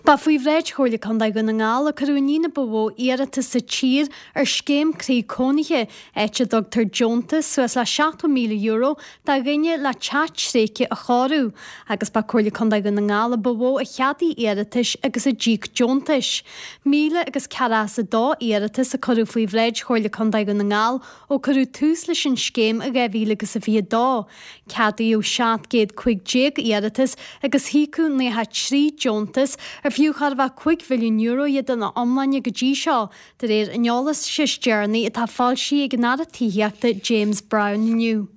Ba faoi bhráid Chomhairle Contae Dhún na nGall a cuireadh an líon ba mhó iarratas sa tír ar scéim croí cónaithe, áit a dtugtar deontas suas le seachtó míle euro do dhuine le teach tréigthe a chóiriú, agus ba Comhairle Contae Dhún na nGall a ba mhó a cheadaigh iarratais agus a d'íoc deontais. Míle agus ceathracha is a dó iarratas a cuireadh faoi bhráid Chomhairle Contae Dhún na nGall ó cuireadh tús leis an scéim i dhá mhíle agus a fiche dó. Ceadaíodh seacht gcéad cúig déag iarratas agus híocadh nócha trí deontas ar fiú chóir a bheith cúig mhilliún euro iad ina iomláine go dtí seo, de réir an eolais is deireanaí atá foilsithe ag an Aire Tithíochta James Browne inniu.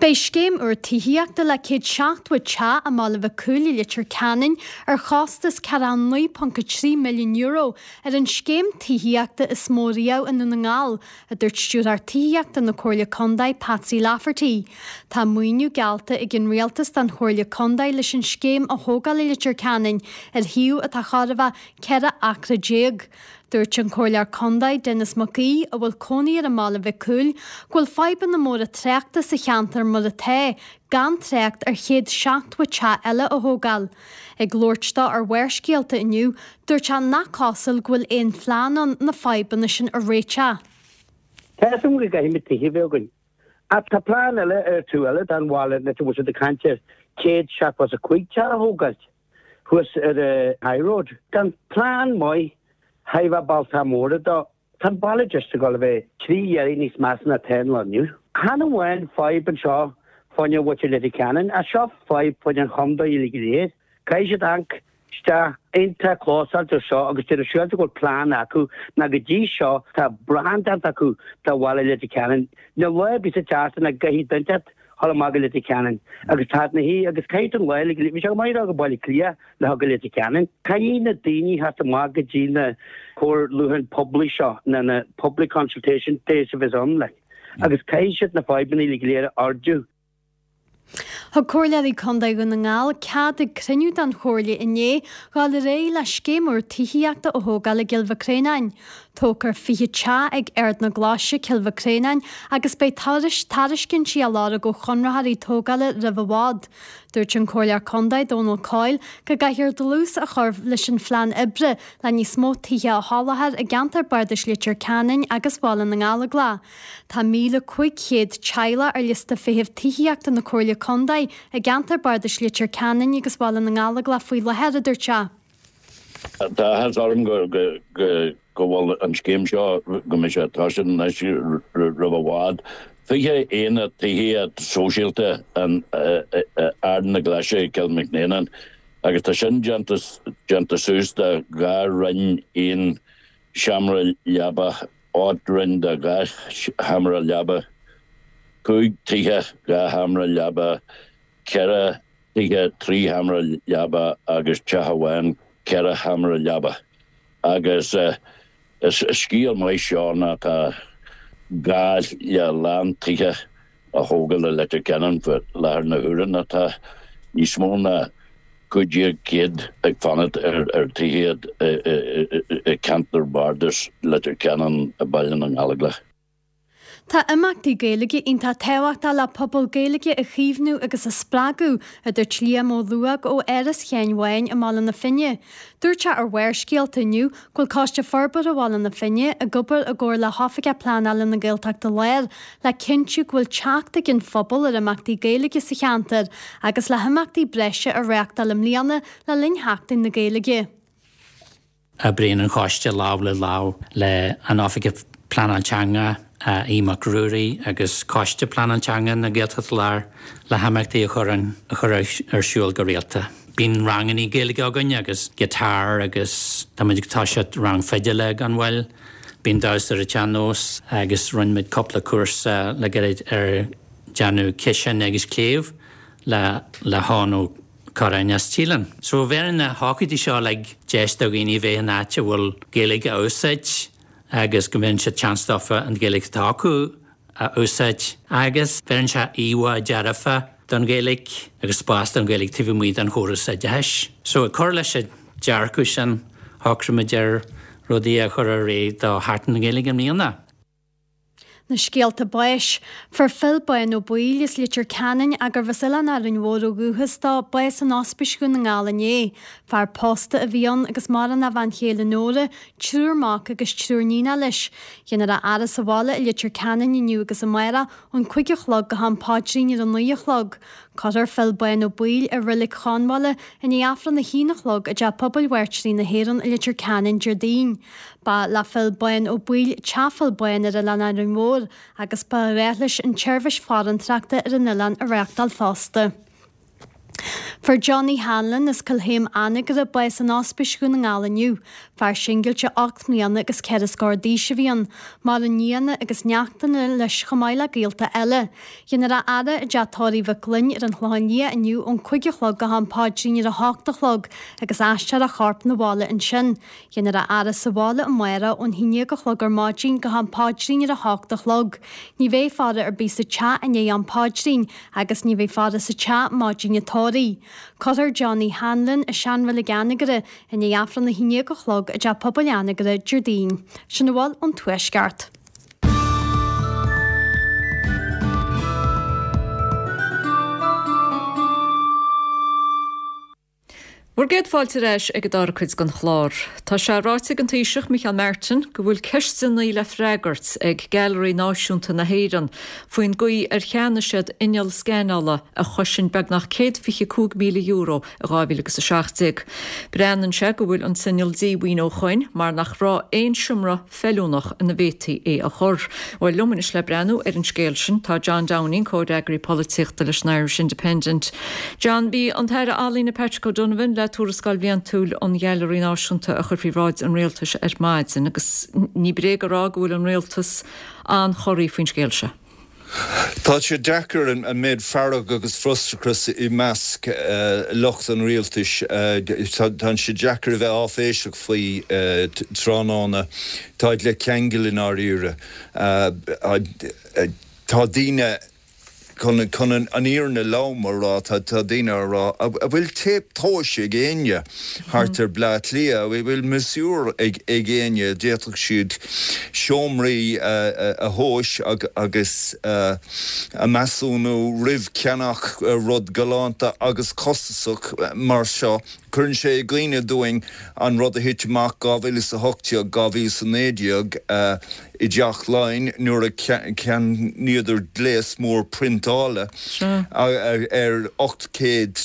Beidh scéim úr tithíochta le céad seachtó teach i mBaile Mhic Cumhaill i Leitir Ceanainn ar chostas ceathracha naoi ponc a trí milliún euro ar an scéim tithíochta is mó riamh i nDún na nGall, a dúirt Stiúrthóir Tithíochta na Comhairle Contae Patsy Lafferty. Tá maoiniú geallta ag an Rialtas don Chomhairle Contae leis an scéim a thógáil i Leitir Ceanainn ar shuíomh atá chóir a bheith ceithre acra déag. Dúirt an Comhairleoir Contae Denis Mac Aoidh, a bhfuil cónaí air i mBaile Mhic Cumhaill, go bhfuil fadhbanna móra tráchta sa cheantar mar atá, gan trácht ar chéad seachtó teach eile a thógáil. Ag labhairt dó ar Bharrscéalta inniu, dúirt sé nach cosúil go bhfuil aon phlean ann na fadhbanna sin a réiteach. Tá a fhios agam go gcaithfimid tithe a bheith againn. Ach tá plean eile ar taobh eile den bhaile anois a bhfuil siad ag caint ar céad seachtó is a cúig teach a thógáilt thuas ar an High Road. Gan plean maith thar a bheith bailte móra dó. Tá an baile just ag dul a bheith trí oiread níos measa ná atá an lá inniu. Chan amháin fadhb anseo fá choinne mhuintir Leitir Ceanainn, ach seo fadhb fá choinne an chontae uilig go léir. Caithfidh siad amharc isteach iontach clósáilte ar seo agus déanamh siúráilte go bhfuil plean acu ná go dtí seo tá brand déanta acu de bhaile Leitir Ceanainn. Níl lá ar bith sa tseachtain nach gcaithfidh duine inteacht dhul amach go Leitir Ceanainn agus tá na hí agus caithfidh an lá uilig bhí sé go maith a dhul go Baile Átha Cliath le dhul go Leitir Ceanainn. Caithfidh na daoine theacht amach go dtí na comhairliúcháin poiblí seo na na public consultation days a bheas ann like agus caithfidh siad na fadhbanna uilig go léir a ardú. Thug Comhairleoirí Contae Dhún na nGall cead ag cruinniú den Chomhairle inné dhul ar aghaidh le scéim úr tithíochta a thógáil i gCill Mhic Réanáin. Tógfar fiche teach ag Ard na Glaise, Cill Mhic Réanáin agus beidh tairiscintí á lorg ó chonraitheoirí tógála roimh i bhfad. Dúirt an Comhairleoir Contae Dónal Coyle go gcaithfear dlús a chur leis an phlean oibre le níos mó tithe a sholáthar i gceantar bardais Leitir Ceanainn agus Bhaile na nGallóglach. Tá míle cúig chéad teaghlach ar liosta feithimh tithíochta na Comhairle Contae i gceantar bardais Leitir Ceanainn agus Bhaile na nGallóglach faoi láthair, a dúirt sé. Tá áthas orm go go bhfuil an scéim seo, go mbeidh sé tosaithe anois roimh i bhfad. Fiche aonad tithíocht sóisialta in Ard na Glaise, Cill Mhic Néanáin, agus tá sin déanta déanta suas de dhá roinn aon seomra leaba, ocht roinn de dhá sheomra leaba, cúig tithe dhá sheomra leaba, ceithre thithe trí sheomra leaba agus teach amháin ceithre sheomra leaba. Agus is scéal maith seo ná tá gá le a lán tithe a thógáil i Leitir Ceanainn faoi láthair na huaire ná tá níos mó ná cúig déag céad ag fanacht ar tithíocht i gceantar bardais Leitir Ceanainn i Baile na nGallóglach. Tá imeachtaí Gaeilge iontach tábhachtach le pobal Gaeilge a chaomhnú agus a spreagadh, a dúirt Liam Ó Luadhg ó Áras Sheáin Bháin i mBaile na Finne. Dúirt sé ar Bharrscéalta inniu go bhfuil Coiste Forbartha Bhaile na Finne ag obair i gcomhar le hOifigeach Pleanála na Gaeltachta Láir le cinntiú go bhfuil teacht ag an phobal ar imeachtaí Gaeilge sa cheantar agus le himeachtaí breise a reáchtáil i mbliana le linn Sheachtain na Gaeilge. Oibríonn an Coiste lámh le lámh le an Oifigeach Pleanáil Teanga, Aodh Mac Ruairí agus Coiste Pleanáil Teanga na Gaeltachta Láir le himeachtaí a chur a chur ar siúl go rialta. Bíonn rangannaí Gaeilge againn agus guitar agus tá muid ag toiseacht rang fidile gan mhoill. Bíonn damhsa ar an tsean-nós agus rinne muid cúpla cúrsa le gairid ar déanamh ciseáin agus cléibh le le hEoghan Ó Corráin as Tíleann. So bheireann na hócáidí seo like deis do dhaoine bheith in áit a bhfuil Gaeilge á úsáid agus go mbíonn sé chance dófa an Ghaeilge atá acu a úsáid agus bheireann sé íomhá dearfa don Ghaeilge agus spás don Ghaeilge taobh amuigh den chóras oideachais. So ag cur leis an dearcadh sin shocraigh muid ar rudaí a chur ar aghaidh do Sheachtain na Gaeilge i mbliana. Na scéalta báis. Fuair Phil Bán Ó Baoill as Leitir Ceanainn gurbh as Oileán Árainn Mhór ó dhúchas dó, bás in Ospís Dhún na nGall inné. Fear pósta a bhí ann agus maireann a bhean chéile Nóra, triúr mac agus triúr níonacha leis. Déanfar a fhaire sa bhaile i Leitir Ceanainn inniu agus amárach ón cúig a chlog go ham paidrín ar a naoi a chlog. Cuirfear Phil Bán Ó Baoill i Reilig Chonmhaile i ndiaidh Aifreann a haon a chlog i dTeach Pobail Mhairtírí na hÉireann i Leitir Ceanainn Déardaoin. Ba le Phil Bán Ó Baoill Teach Phil Bán ar Oileán Árainn Mhór agus ba ghnách leis an tseirbhís farantóireachta ar an oileán a reáchtáil fosta. Fuair Johnny Hanlon as Cill Chéim Anagaire bás in Ospís Dhún na nGall inniu. Fear singilte ocht mbliana agus ceithre scór d'aois a bhí ann. Maireann nianna agus neachtanna leis chomh maith le gaolta eile. Déanfar a fhaire i dteach tórraimh Mhic Gloinn ar an Chlochán Liath inniu ón cúig a chlog go ham paidrín ar a hocht a chlog agus aistreofar a chorp 'na bhaile ansin. Déanfar a fhaire sa bhaile amárach ón haon déag a chlog ar maidin go ham paidrín ar a hocht a chlog. Ní bheidh faire ar bith sa teach i ndiaidh am paidrín agus ní bheidh faire sa teach maidin an tórraimh. Cuirfear Johnny Hanlon i seanreilig Anagaire i ndiaidh Aifreann a haon déag a chlog i dTeach Pobail Anagaire Déardaoin. Sin a bhfuil ón Tuaisceart. Bhur gcéad fáilte ar ais ag an dara cuid den chlár. Tá sé ráite ag an Taoiseach Micheál Martin go bhfuil ceisteanna le freagairt ag Gailearaí Náisiúnta na hÉireann faoin gcaoi ar cheannaigh siad inneall scanála a chosain beagnach céad fiche cúig míle euro i dhá mhíle agus a seacht déag. Breathnaíonn sé go bhfuil an t-inneall díomhaoin ó shoin mar nach raibh aon seomra feiliúnach ina bhféadfaí é a chur. Bhuel, liom anois le breathnú ar an scéal sin tá John Downing, comhfhreagraí polaitíochta leis an Irish Independent. John, bhí an tAire Ealaíne Patrick O'Donovan le tuarascáil bhliantúil an Ghailearaí Náisiúnta a chur faoi bhráid an rialtais ar maidin agus ní bréag a rá go bhfuil an rialtas an-chorraithe faoin scéal seo. Tá sé deacair an méid fearg agus frustrachas i measc lucht an rialtais. Tá sé deacair a bheith áiféiseach faoi tráthnóna. Táid le ceangal i ndáiríre. Tá daoine Chun chun an fhírinne lom a rá, tá daoine a rá, an bhfuil téip tomhais ag éinne thart ar Bleá Cliath? An bhfuil miosúr ag éinne? D'fhéadfadh siad seomraí a thomhas agus a measúnú roimh cheannach rud galánta agus costasach mar seo. Cuireann sé i gcuimhne dúinn an rud a thit amach dhá mhíle is a hocht déag, dhá mhíle is a naoi déag i dTeach Laighean nuair a cheannaíodar gléas mór priontála ar ocht gcéad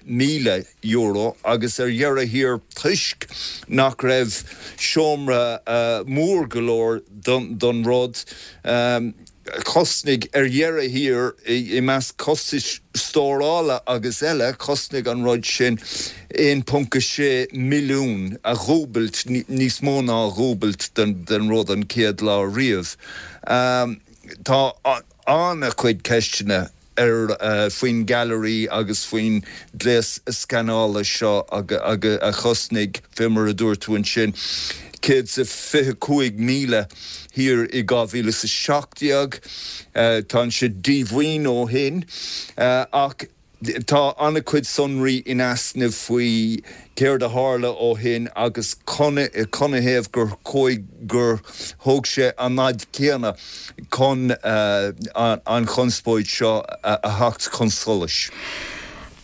míle euro agus ar dheireadh thiar toisc nach raibh seomra mór go leor don rud, Chosnaigh, ar dheireadh thiar, i measc costais stórála agus eile, chosnaigh an rud sin aon ponc a sé milliún, a dhúbailt, níos mó ná a dhúbailt den rud an chéad lá riamh. Tá an-chuid ceisteanna ar faoin Ghailearaí agus faoin ghléas scanála seo a chosnaigh, fé mar a dúirt tú ansin, céad is a fiche cúig míle thiar i dhá mhíle is a seacht déag. Tá sé díomhaoin ó shin ach tá an-chuid sonraí in easnamh faoi céard a tharla ó shin agus canathaobh gur chuaigh, gur thóg sé an fhad céanna chun an chonspóid seo a theacht chun solais.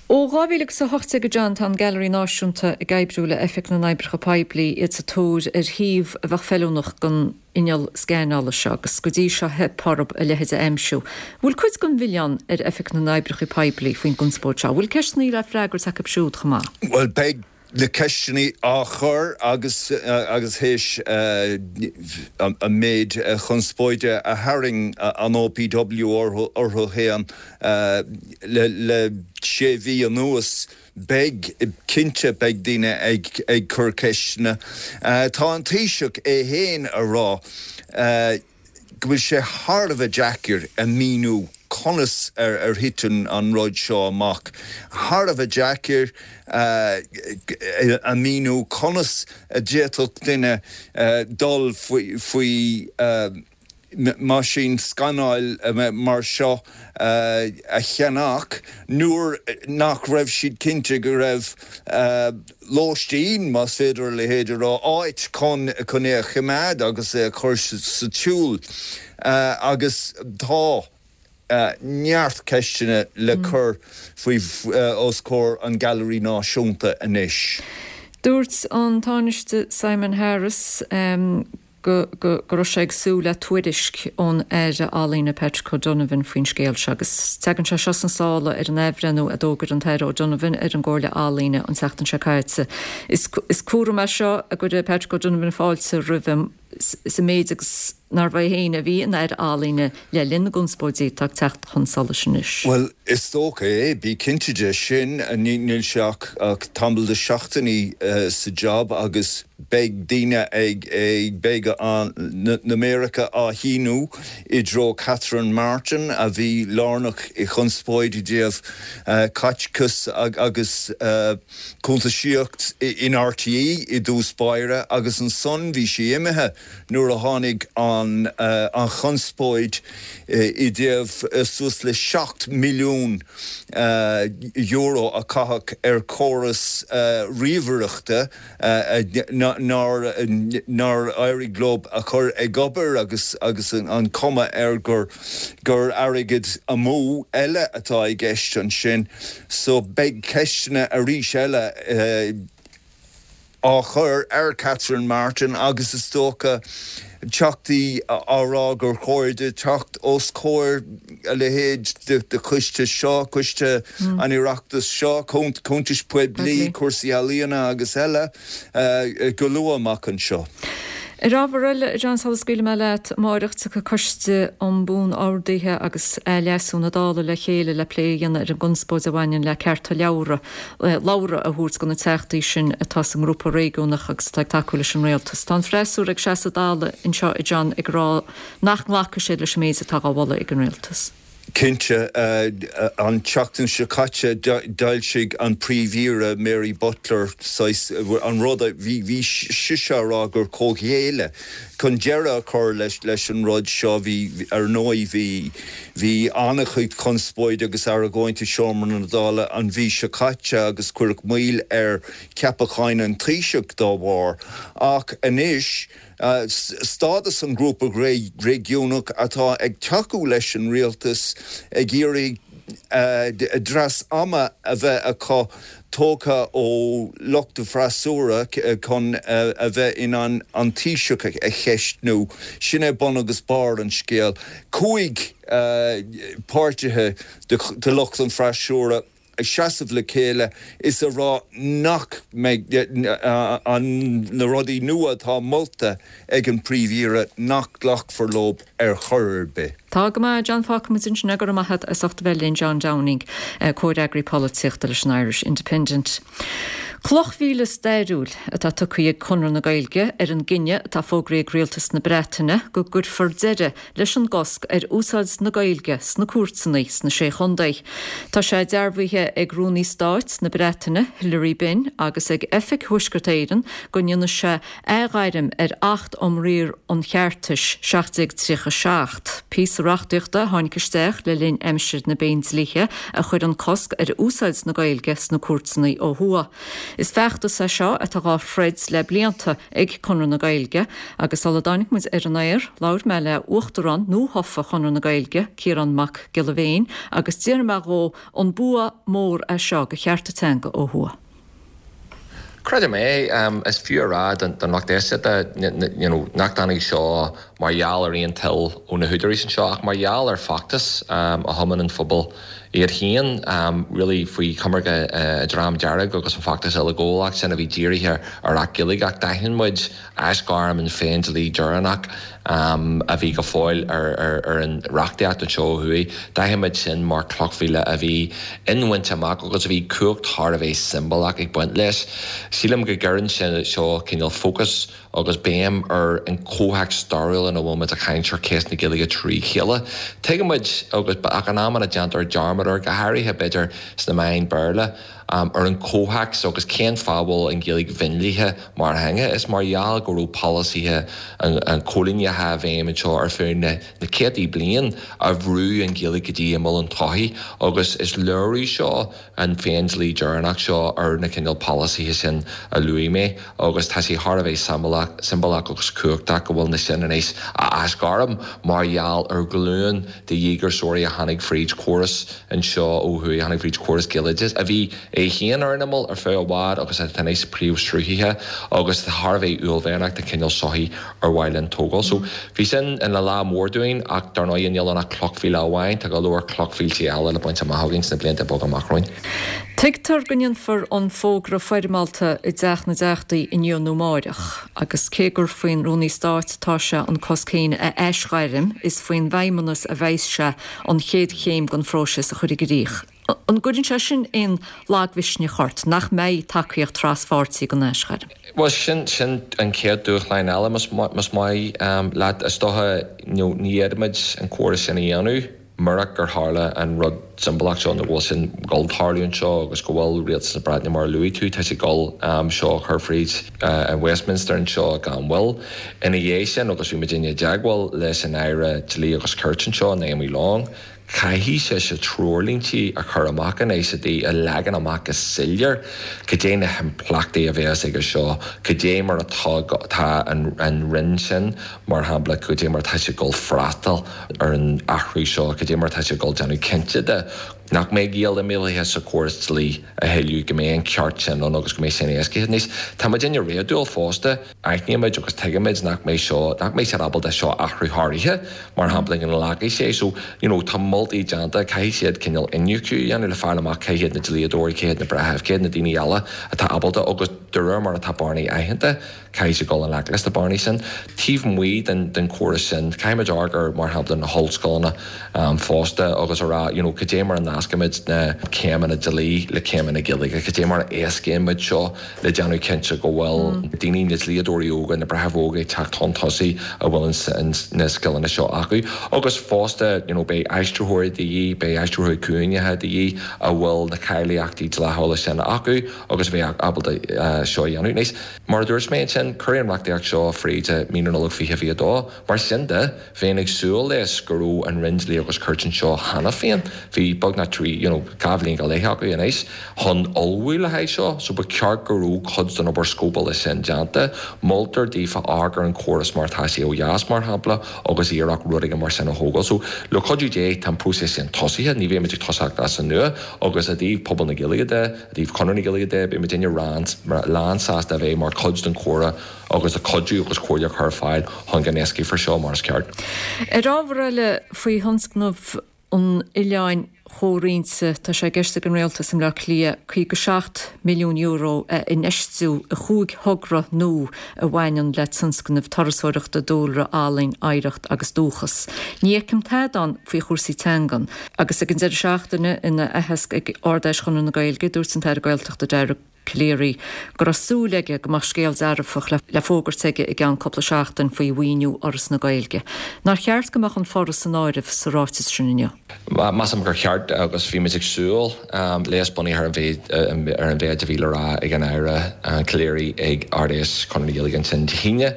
Ó dhá mhíle agus a hocht déag a John tá an Gailearaí Náisiúnta ag oibriú le Oifig na nOibreacha Poiblí, iad sa tóir ar shuíomh a bheadh feiliúnach don inneall scanála seo agus go dtí seo theip orthu a leithéid a aimsiú. Bhfuil cuid den mhilleán ar Oifig na nOibreacha Poiblí faoin gconspóid seo? Bhfuil ceisteanna le freagairt acu siúd chomh maith? Bhuel, beidh na ceisteanna á chur agus agus théis an méid chonspóide a tharraing an O P W orthu féin le le sé mhí anuas, beidh cinnte beidh daoine ag ag cur ceisteanna. Tá an Taoiseach é féin a rá go bhfuil sé thar a bheith deacair a mhíniú conas ar ar thit an rud seo amach. Thar a bheith deacair a mhíniú conas a d'fhéadfadh duine dul faoi faoi meaisín scanáil mar seo a cheannach nuair nach raibh siad cinnte go raibh lóistín, más féidir a leithéid a rá, áit chun chun é a choimeád agus é a chur sa tsiúl agus tá neart ceisteanna le cur faoi os comhair an Gailearaí Náisiúnta anois. Dúirt an Tánaiste Simon Harris um, go, go, go raibh sé ag súil le tuairisc ón Aire Ealaíon Patrick O'Donovan faoin scéal seo agus tagann sé seo sna sála ar an athbhreithniú a d'fhógair an tAire O'Donovan ar an gComhairle Ealaíon an tseachtain seo caite. Is, is cúram é seo a gcuir Patrick O'Donovan fáilte roimhe sa méid agus nárbh é féin a bhí ina Aire Ealaíon le linn na gconspóidí atá ag teacht chun solais anois. Well, is dócha é, bí cinnte de sin níl sé ach ach tamall de seachtainí uh, sa job agus beidh daoine ag ag beidh an na méaracha á shíneadh i dtreo Catherine Martin a bhí lárnach i chonspóid i dtaobh uh, caiteachas agus uh, cuntasaíocht in R T É i dtús báire agus ansan bhí sí imithe nuair a tháinig an uh, an chonspóid uh, i dtaobh uh, suas le seacht milliún uh, euro a caitheadh ar chóras uh, ríomhaireachta uh, nár nár éirigh leo a chur ag obair agus agus an, an cuma air gur gur airgead amú eile atá i gceist ansin, so beidh ceisteanna arís eile uh, á chur ar Catherine Martin agus is dócha teachtaí á rá gur chóir di teacht os comhair a leithéid de, de choiste seo coiste mm. an Oireachtais seo cuntais poiblí cúrsaí ealaíona agus eile uh, go luath amach anseo. Ar ábhar eile John sula scaoilfidh mé leat amárach tiocfaidh Coiste um Buan-Orduithe agus Leasú na Dála le chéile le plé a dhéanamh ar an gconspóid a bhaineann le cearta leabhra labhartha a thabhairt do na teachtaí sin atá sa ngrúpa réigiúnach agus atá ag tacú leis an rialtas. Tá an freasúra ag seasamh Dála anseo i John ag rá nach nglacfaidh siad leis an méid atá á mholadh ag an rialtas. Cinnte uh, an tseachtain seo caite d'fhoilsigh an príomh-aire Mary Butler an rud bhí bhí sise á rá gur comhghéilleadh chun deireadh a chur leis leis an rud seo bhí ar ndóigh bhí bhí an-chuid conspóid agus argóint i seomra na Dála an mhí seo caite agus cuireadh moill ar cheapacháin an Taoiseach dá bharr ach anois Uh, stádas an grúpa réigiúnach atá ag tacú leis an rialtas ag iarraidh uh, dreas ama a bheith acu tógtha ó lucht an fhreasúra chun uh, a bheith in ann an Taoiseach a cheistniú sin é bun agus barr an scéil. Cúig uh, páirtithe de, de lucht an freasúra ag seasamh le chéile is a rá nach mbeidh an na rudaí nua atá molta ag an príomh-aire nach nglacfar leo ar chor ar bith. Tá go maith John fágfaimid ansin go raibh maith agat as ucht a bheith linn John Downing comhfhreagraí polaitíochta leis an Irish Independent. Cloch mhíle stairiúil atá tugtha ag Conradh na Gaeilge ar an gcinneadh atá fógraithe ag rialtas na Breataine go gcuirfear deireadh leis an gcosc ar úsáid na Gaeilge sna cúirteanna sna sé chontae. Tá sé dearbhaithe ag Rúnaí Stáit na Breataine Hilary Benn agus ag Oifig Thuaisceart Éireann go ndéanfaidh sé athghairm ar Acht um Riar an Cheartais seacht déag tríocha seacht. Píosa reachtaíochta a tháinig isteach le linn aimsir na bPéindlíthe a chuir an cosc ar úsáid na Gaeilge sna cúirteanna ó thuaidh. Is feachtas é seo atá á throid le blianta ag Conradh na Gaeilge agus sula dtáinig muid ar an aer labhair mé le uachtarán nuathofa Chonradh na Gaeilge, Ciarán Mac Giolla Bhéin, agus d'iarr mé dhó an bua mór é seo do chearta teanga ó thuaidh. Creidim é um, is fiú a rá don don lucht éisteachta you know, nach dtáinig seo mar gheall ar aon toil ó na húdaráis anseo ach mar gheall ar fheachtas um, a thiomáin an phobal iad féin really faoi choimirce an Dream Dearg agus an feachtas uileghabhálach sin a bhí dírithe ar Acht Gaeilge ach d'aithin muid aisghairm an Phéindlí deireanach a bhí go fóill ar an reachtaíocht anseo ó thuaidh. D'aithin muid sin mar chloch mhíle a bhí inbhainte amach agus a bhí cumhacht thar a bheith siombalach ag baint leis. Sílim go gcuireann seo cineál fócas agus béim ar an chomhthéacs stairiúil ina bhfuil muid ag caint ar cheist na Gaeilge trí chéile. Tuigimid agus ach in amanna déantar dearmad air, go háirithe b'fhéidir sna meáin Béarla, ar an chomhthéacs agus cén fáth a bhfuil an Ghaeilge mionlaithe mar theanga. Is mar gheall go raibh polasaithe an choilíneachais i bhfeidhm anseo ar feadh na céadtaí bliain a bhrú an Ghaeilge go dtí imeall an tsochaí agus is léiriú seo an Phéindlí deireanach seo ar na cineál polasaithe sin a luaigh mé agus tá sé thar a bheith siombalach agus cumhachtach go bhfuil na sin anois á aisghairm mar gheall ar ghlúin de dhíograiseoirí a tháinig fríd córas anseo ó thuaidh, a tháinig fríd córas Gaeloideachais a bhí é féin ar an imeall ar feadh i bhfad agus atá anois príomhshruthaithe agus tá thar a bheith uaillmhianach den chineál sochaí ar mhaith linn tógáil. So bhí sin ina lá mór dúinn ach dar ndóigh níl ann ach cloch mhíle amháin, tá go leor cloch mhílte eile le baint amach againn sna blianta beaga amach romhainn. Tuigtear go ndéanfar an fógra foirmeálta i dTeach na dTeachtaí inniu nó amárach, agus cé gur faoin Rúnaí Stáit atá sé an cosc féin a aisghairm, is faoin bhFeidhmeannas a bheas sé an chéad chéim den phróiseas a chur i gcrích. An gcuireann sé sin aon lagmhisneach ort nach mbeidh tacaíocht traspháirtí don aisghairm? Bhuel, sin sin an chéad dúshlán eile, más maith leat. Is dócha, ní fhéadfaimid an córas sin a dhéanamh. Murach gur tharla an rud siombalach seo, nó go bhfuil sin ag dul tarlú anseo agus go bhfuil Rialtas na Breataine, mar a luaigh tú, tá sé ag dul seo a chur fríd i Westminster anseo gan mhoill. Ina dhiaidh sin, agus bhí muidinne i dteagmháil leis an Aire Dlí agus Cirt anseo, Naomi Long, caithfidh sise treoirlíntí a chur amach anois i dtaobh a leagan amach go soiléir cad é na himpleachtaí a bheas aige seo, cad é mar atá tá an Roinn sin, mar shampla, cad é mar atá sé ag dul freastal ar an athrú seo, cad é mar atá sé ag dul déanamh cinnte de nach mbeidh Gaeil imeallaithe sa chóras dlí a thuilleadh, go mbeidh an ceart sin ann agus go mbeidh sin éascaithe. Anois, tá muidinne réadúil fosta, aithnímid agus tuigimid nach mbeidh seo, nach mbeidh siad ábalta seo a athrú thar oíche, mar shampla, go nglacfaidh sé. So, you know, tá moltaí déanta, caithfidh siad cineál iniúchadh a dhéanamh le fáil amach cé hiad na dlíodóirí, cé hiad na breithimh, cé hiad na daoine eile atá ábalta agus de réir mar atá bearnaí aitheanta, caithfidh siad dul i ngleic leis na bearnaí sin. Taobh amuigh den den chóras sin, caithfimid amharc ar, mar shampla, na hollscoileanna fosta agus a rá, you know, cad é mar a nascaimid na céimeanna dlí le céimeanna Gaeilge, cad é mar a éascaímid seo le déanamh cinnte go bhfuil daoine, na dlíodóirí óga, na breithimh óga ag teacht chun tosaigh a bhfuil na scileanna seo acu. Agus fosta, you know, beidh aistritheoirí de dhíth, beidh aistritheoirí cúthaileacha de dhíth a bhfuil na cáilíochtaí dlíthiúla sin acu agus a bheidh ábalta seo a dhéanamh. Anois, mar a dúirt mé ansin, cuireadh an reachtaíocht seo fríd i mí na Nollag fiche fiche a dó. Mar sin de, bheinn ag súil leis go raibh an Roinn Dlí agus Cirt anseo cheana féin, bhí beagnach trí, you know, dhá bhliain go leith acu anois, chun ullmhú le haghaidh seo, so ba cheart go raibh cuid den obair scópála sin déanta. Moltar daofa amharc ar an chóras mar atá sé ó dheas, mar shampla, agus iarracht rud éigin mar sin a thógáil. So, le cuidiú Dé, tá an próiseas sin tosaithe, ní bheimid ag tosacht as an nua, agus i dtaobh pobal na Gaeilge de, i dtaobh Chonradh na Gaeilge de, beidh muidinne lánsásta a bheith mar chuid den chomhrá agus ag cuidiú agus comhairle a chur ar fáil chun go n-éascaífear seo mar is ceart. Ar ábhar eile, faoi thionscnamh an Oileáin Chomhroinnte, tá sé i gceist ag an Rialtas i mBleá Cliath caoga seacht milliún euro a infheistiú i chúig thogra nua a bhaineann le tionscnaimh turasóireachta, dúlra, ealaín, oidhreacht agus dúchas. Ní fheicim tada ann faoi chúrsaí teangan. Agus ag an deireadh seachtaine, ina aitheasc ag Ard-Fheis Chonradh na Gaeilge, dúirt an tAire Gaeltachta Dara Calleary go raibh súil aige go mbeadh scéal dearfach le fógairt aige i gceann cúpla seachtain faoi mhaoiniú Fhoras na Gaeilge. Nár cheart go mbeadh an Foras san áireamh sa ráiteas sin inniu? Measaim gur cheart agus bhí muid ag súil leis bunaithe ar an mhéid ar an mhéid a bhí le rá ag an Aire Calleary ag Ard-Fheis Chonradh na Gaeilge ansin Dé hAoine.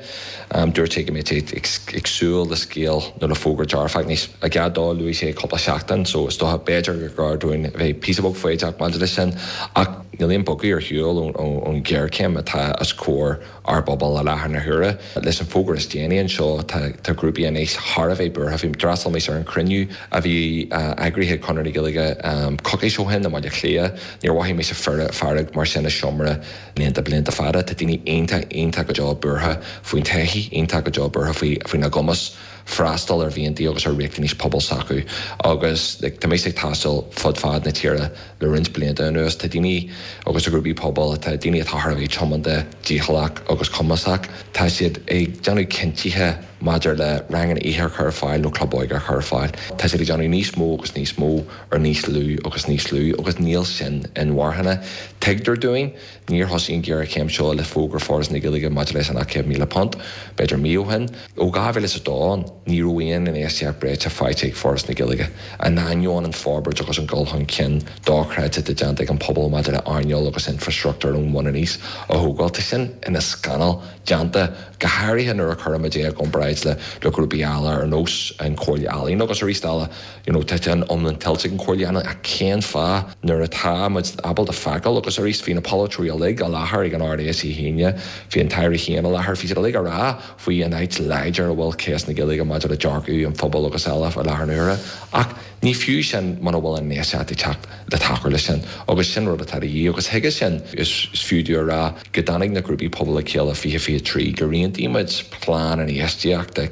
Dúirt sé go mbeadh sé ag súil le scéal nó le fógra dearfach. Anois, i gcead dó, luaigh sé cúpla seachtain so is dócha b'fhéidir gur gá dúinn a bheith píosa beag foighdeach maidir leis sin ach níl aon bogadh ar shiúl ón ghéarchéim atá os comhair ár bpobail i láthair na huaire. Leis an bhfógra is déanaí anseo tá grúpaí anois thar a bheith buartha. Bhí d'fhreastail mise ar an chruinniú a bhí eagraithe ag Conradh na Gaeilge coicís ó shin i mBaile Átha Cliath. Níor mhothaigh mise fearg mar sin i seomra blianta blianta fada. Tá daoine iontach iontach go deo buartha faoin todhchaí, iontach go deo buartha faoina gcumas freastal ar mhianta agus ar riachtanais pobal s'acu agus like, tá mé ag taisteal fud fad na tíre le roinnt blianta anuas tá daoine agus a grúpaí pobail tá daoine atá thar a bheith tiomanta dícheallach agus cumasach tá siad ag déanamh cinntithe maidir le ranganna oíche a chur ar fáil nó club óige a chur ar fáil. Tá siad ag déanamh níos mó agus níos mó ar níos lú agus níos lú agus níl sin inmharthana. Tuigtear dúinn níor thosaigh an ghéarchéim seo le fógra Foras na Gaeilge maidir leis an céad míle punt, b'fhéidir mí ó shin. Ó dhá mhíle is a dó ní raibh aon infheistíocht breise faighte ag Foras na Gaeilge. In ainneoin an forbairt agus an dul chun cinn dochreidte atá déanta ag an pobal maidir le earnáil agus infrastruchtúr ón mbun aníos a thógáil. Tá sin ina scannal déanta go háirithe nuair a chuirimid é i gcomparáid le le grúpaí eile ar nós an Chomhairle Ealaíon agus arís eile you know, tá an iomlán tuillte ag an Chomhairle Ealaíon ach cén fáth nuair atá muid ábalta feiceáil agus arís bhí na polaiteoirí uilig i láthair ag an Ard-Fheis Dé hAoine, bhí an tAire féin i láthair, bhí siad uilig ag rá faoi an áit láidir a bhfuil cás na Gaeilge maidir le dearcadh an phobail agus eile i láthair na huaire. Ach ní fiú sin muna bhfuil an infheistíocht ag teacht le tacú leis sin agus sin rud atá de dhíth agus chuige sin is fiú dúinn a rá go dtáinig na grúpaí pobail le chéile fiche fiche trí gur aontaigh muid plean infheistíochta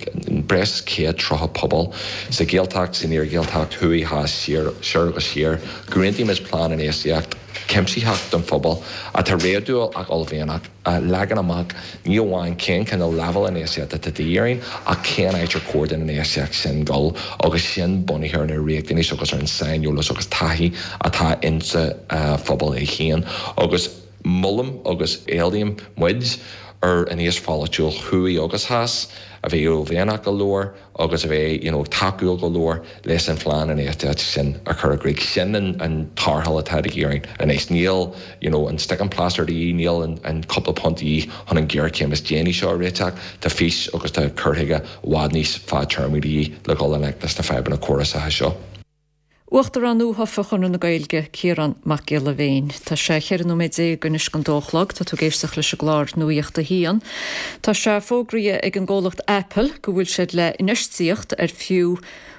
breis is céad tríocha pobal sa Ghaeltacht, san iar-Ghaeltacht, thuaidh, theas, siar, soir agus siar, gur aontaigh muid plean infheistíocht cuimsitheach don phobal atá réadúil ach uaillmhianach a leagann amach ní amháin cén cineál leibhéal infheistíochta atá de dhíth orainn ach cén áit ar chóir don infheistíocht sin dul agus sin bunaithe ar na riachtanais agus ar an saineolas agus taithí atá insa phobal é féin agus molaim agus éilím muid ar an aos pholaitiúil thuaidh agus theas a bheith uaillmhianach go leor agus a bheith you know, tacúil go leor leis an phlean infheistíochta sin a chur i gcrích. Sin an, an tarrtháil atá de dhíth orainn anois. Níl you know, an sticking plaster de dhíth, níl an, an cúpla punt de dhíth chun an ghéarchéim is déanaí seo a réiteach, tá fís agus tá cur chuige i bhfad níos fadtéarmaí de dhíth le dhul i ngleic leis na fadhbanna córasacha seo. Uachtarán nuathofa Chonradh na Gaeilge, Ciarán Mac Giolla Bhéin. Tá sé cheithre nóiméad déag anois don dó a chlog, tá tú ag éisteacht leis an gclár Nuacht a hAon. Tá sé fógraithe ag an gcomhlacht Apple go bhfuil siad le infheistíocht ar fiú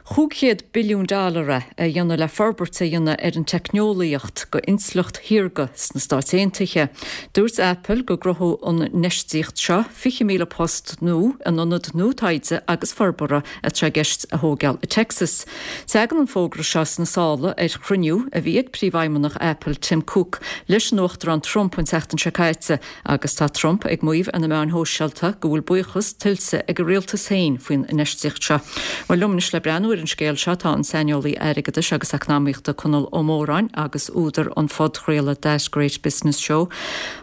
chúig chéad billiún dollar a dhéanamh le forbairt a dhéanamh ar an teicneolaíocht go intleacht shaorga sna Stáit Aontaithe. Dúirt Apple go gcruthódh an infheistíocht seo fiche míle post nua in ionad nua taighde agus forbartha atá i gceist a thógáil i Texas. Tagann an fógra seo sna sála ar chruinniú a bhí ag príomhfheidhmeannach Apple Tim Cook leis an Uachtarán Trump an tseachtain seo caite agus tá Trump ag maíomh ar na meáin shóisialta go bhfuil buíochas tuillte ag a rialtas féin faoin infheistíocht seo. Bhuel liom anois le breathnú ar an scéal seo tá an saineolaí airgeadais agus eacnamaíochta Conall Ó Móráin agus údar an phodchraolta That Great Business Show.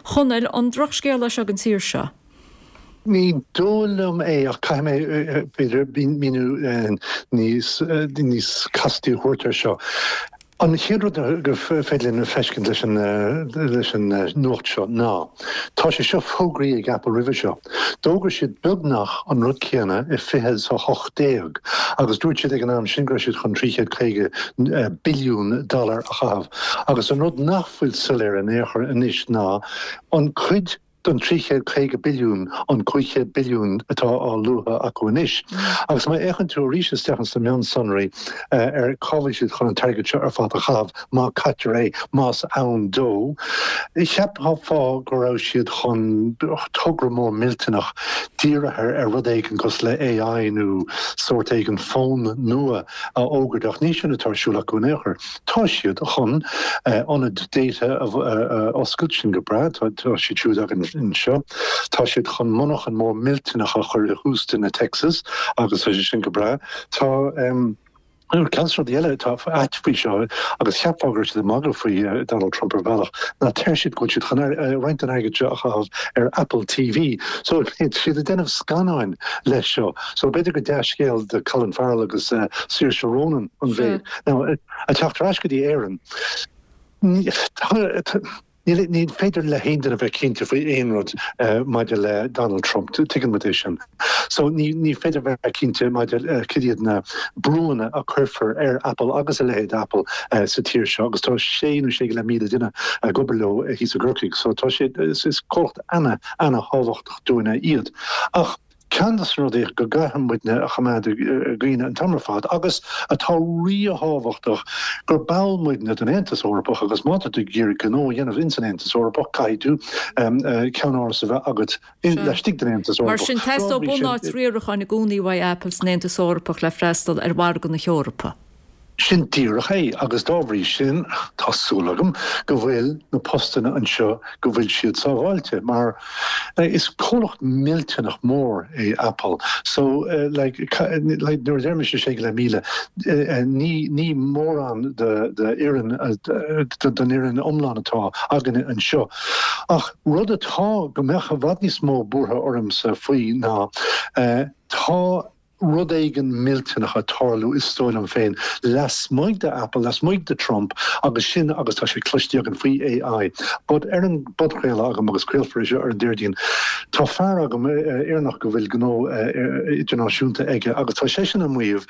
Chonaill an drochscéal é seo don tír seo. Ní dóigh liom é ach caithfidh mé b'fhéidir míniú níos níos castaí a thabhairt air seo. An chéad rud gur féidir linn feiscint leis an leis an nuacht seo ná tá sé seo fógraithe ag Apple roimhe seo. D'fhógair siad beagnach an rud céanna i fiche a hocht déag agus dúirt siad ag an am sin go raibh siad chun trí chéad caoga billiún dollar a chaitheamh. Agus an rud nach bhfuil soiléir in aon chor anois ná an cuid den trí chéad caoga billiún an cúig chéad billiún atá á lua acu anois. Agus má fhéachann tú arís isteach sna mionsonraí ar cá bhfuil siad chun an t-airgead seo ar fad a chaitheamh má caitear é más ann dó, cheapfá go raibh siad chun togra mór millteanach dírithe ar rud éigin cosúil le AI nó sórt éigin fón nua a fhógairt ach ní sin atá ar siúl acu in aon chor. Tá siad chun ionad data a oscailt sin go breá, tá siad siúd againn anseo. Tá siad chun monarchan mór millteanach a chur i Houston i Texas agus tá sé sin go breá. Tá um, ceann rudaí eile atá ait faoi seo agus cheapfá go raibh siad ag magadh faoi Donald Trump ar bhealach ná deir siad go bhfuil siad chun roinnt den airgead seo a chaitheamh ar Apple TV. So siad ag déanamh scannáin leis seo. So b'fhéidir go dea-scéal do Colin Farrell agus uh, Saoirse Ronan an mhéid. Now ag teacht ar ais go dtí Éirinn. Ní féidir le haon duine bheith cinnte faoi aon rud maidir le Donald Trump, tuigeann muid é sin. So ní ní féidir bheith cinnte maidir cad iad na brúnna a chuirfear ar Apple agus a leithéid Apple sa tír seo, agus tá sé nó sé go leith míle duine ag obair leo thíos i gCorcaigh, so tá sé is comhlacht ana ana thábhachtach dúinne iad. Ach Ceann de na rudaí go gcaithfidh muidne a choimeád i gcuimhne an t-am ar fad agus atá ríthábhachtach gur ball muidne den Aontas Eorpach agus má tá tú ag iarraidh gnó a dhéanamh ins an Aontas Eorpach caithfidh tú ceannáras a bheith agat laistigh den Aontas Mar Eorpach. sin, Dá teastóidh bhrí sin, bunáit riaracháin i gcónaí uaidh Apple san Aontas Eorpach le freastal ar mhargadh na hEorpa. Sin díreach é, agus dá bhrí sin, tá súil agam go bhfuil na postanna anseo, go bhfuil siad sábháilte, mar is comhlacht millteanach mór é Apple. So, like, like, nuair a deir mise sé go leith míle, ní, ní mórán de, de fhoireann, den fhoireann iomlán atá againne anseo. Ach rud atá, go mbeadh i bhfad níos mó buartha ormsa faoi ná, tá, rud éigin millteanach ag tarlú, is dóigh liom féin, lasmuigh de Apple, lasmuigh de Trump agus sin agus tá sé cloiste againn faoi AI. But ar an bpodchraoladh agam agus craolfar é seo ar an Déardaoin, tá fear agam, Éireannach go bhfuil gnó idirnáisiúnta aige agus tá seisean ag maíomh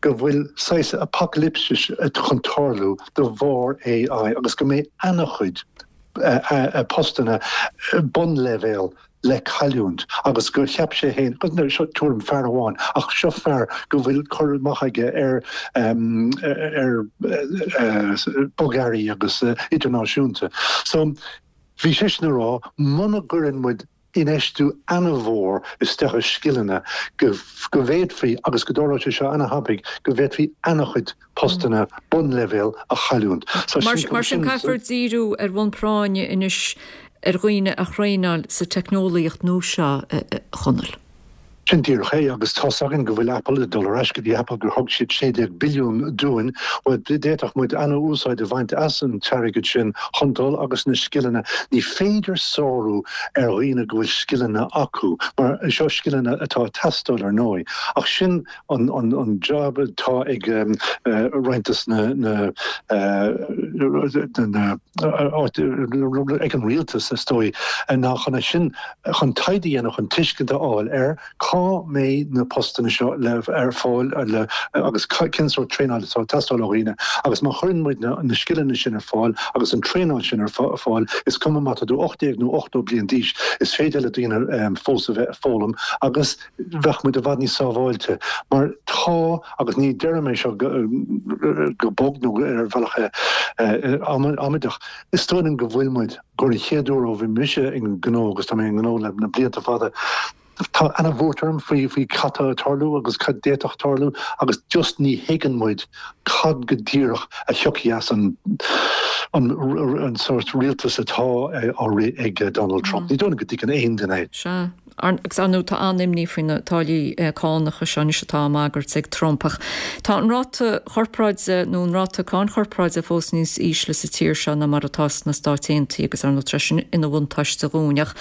go bhfuil saghas apacailipsis chun tarlú de bharr AI agus go mbeidh ana-chuid postanna bunleibhéal le cailliúint agus gur cheap sé féin, agus seo tuairim fear amháin, ach seo fear go bhfuil cur amach aige ar ar bogearraí agus idirnáisiúnta. So bhí seisean ag rá muna gcuireann muid infheistiú ana-mhór isteach i scileanna go go bhféadfaí, agus go dtarlódh sé seo ana-thapaidh, go bhféadfaí ana-chuid postanna bunleibhéil a chailliúint. So Mar sin, mar sin caithfear díriú ar bhonn práinne anois ar dhaoine a thraenáil sa teicneolaíocht nua seo, a Chonaill. Sin díreach é, agus tá's againn go bhfuil Apple ag dul ar ais go dtí Apple gur thug siad sé déag billiún dúinn, bhuel d'fhéadfadh muid ana-úsáid a bhaint as an t-airgead sin chun dul agus na scileanna, ní féidir sárú ar dhaoine go bhfuil scileanna acu, mar seo scileanna atá ag teastáil ar ndóigh, ach sin an an an job atá ag roinnt des na na na ag an rialtas is dóigh ná chun é sin chun taighde a dhéanamh chun tuiscint a fháil ar cá mbeidh na postanna seo le ar fáil le agus cén sórt traenáil atá ag teastáil ó dhaoine agus má chuireann muid na na scileanna sin ar fáil agus an traenáil sin ar fáil is cuma má tá tú ocht déag nó ochtó bliain d'aois is féidir le daoine fós a bheith ag foghlaim agus bheadh muid i bhfad níos sábháilte mar tá agus ní deirim é seo go bog nó ar bhealach amaideach is dóigh liom go bhfuil muid gur an chéad uair ó bhí mise i ngnó agus tá mé i ngnó le na blianta fada tá ana-bhuairt orm faoi faoi cad tá ag tarlú agus cad d'fhéadfadh tarlú agus just ní thuigeann muid cad go díreach a thiocfaidh as an an an sórt rialtas atá á rith ag Donald Trump. Ní dóigh liom go dtuigeann aon duine é. Sea. Agus ar ndóigh tá an-imní faoi na táillí cánacha seo anois atá á mbagairt ag Trump. Ach tá an ráta corparáide nó an ráta cáin chorparáide fós níos ísle sa tír seo ná mar atá sna Stáit Aontaithe agus ar ndóigh tá sin ina bhuntáiste dhúinn. Ach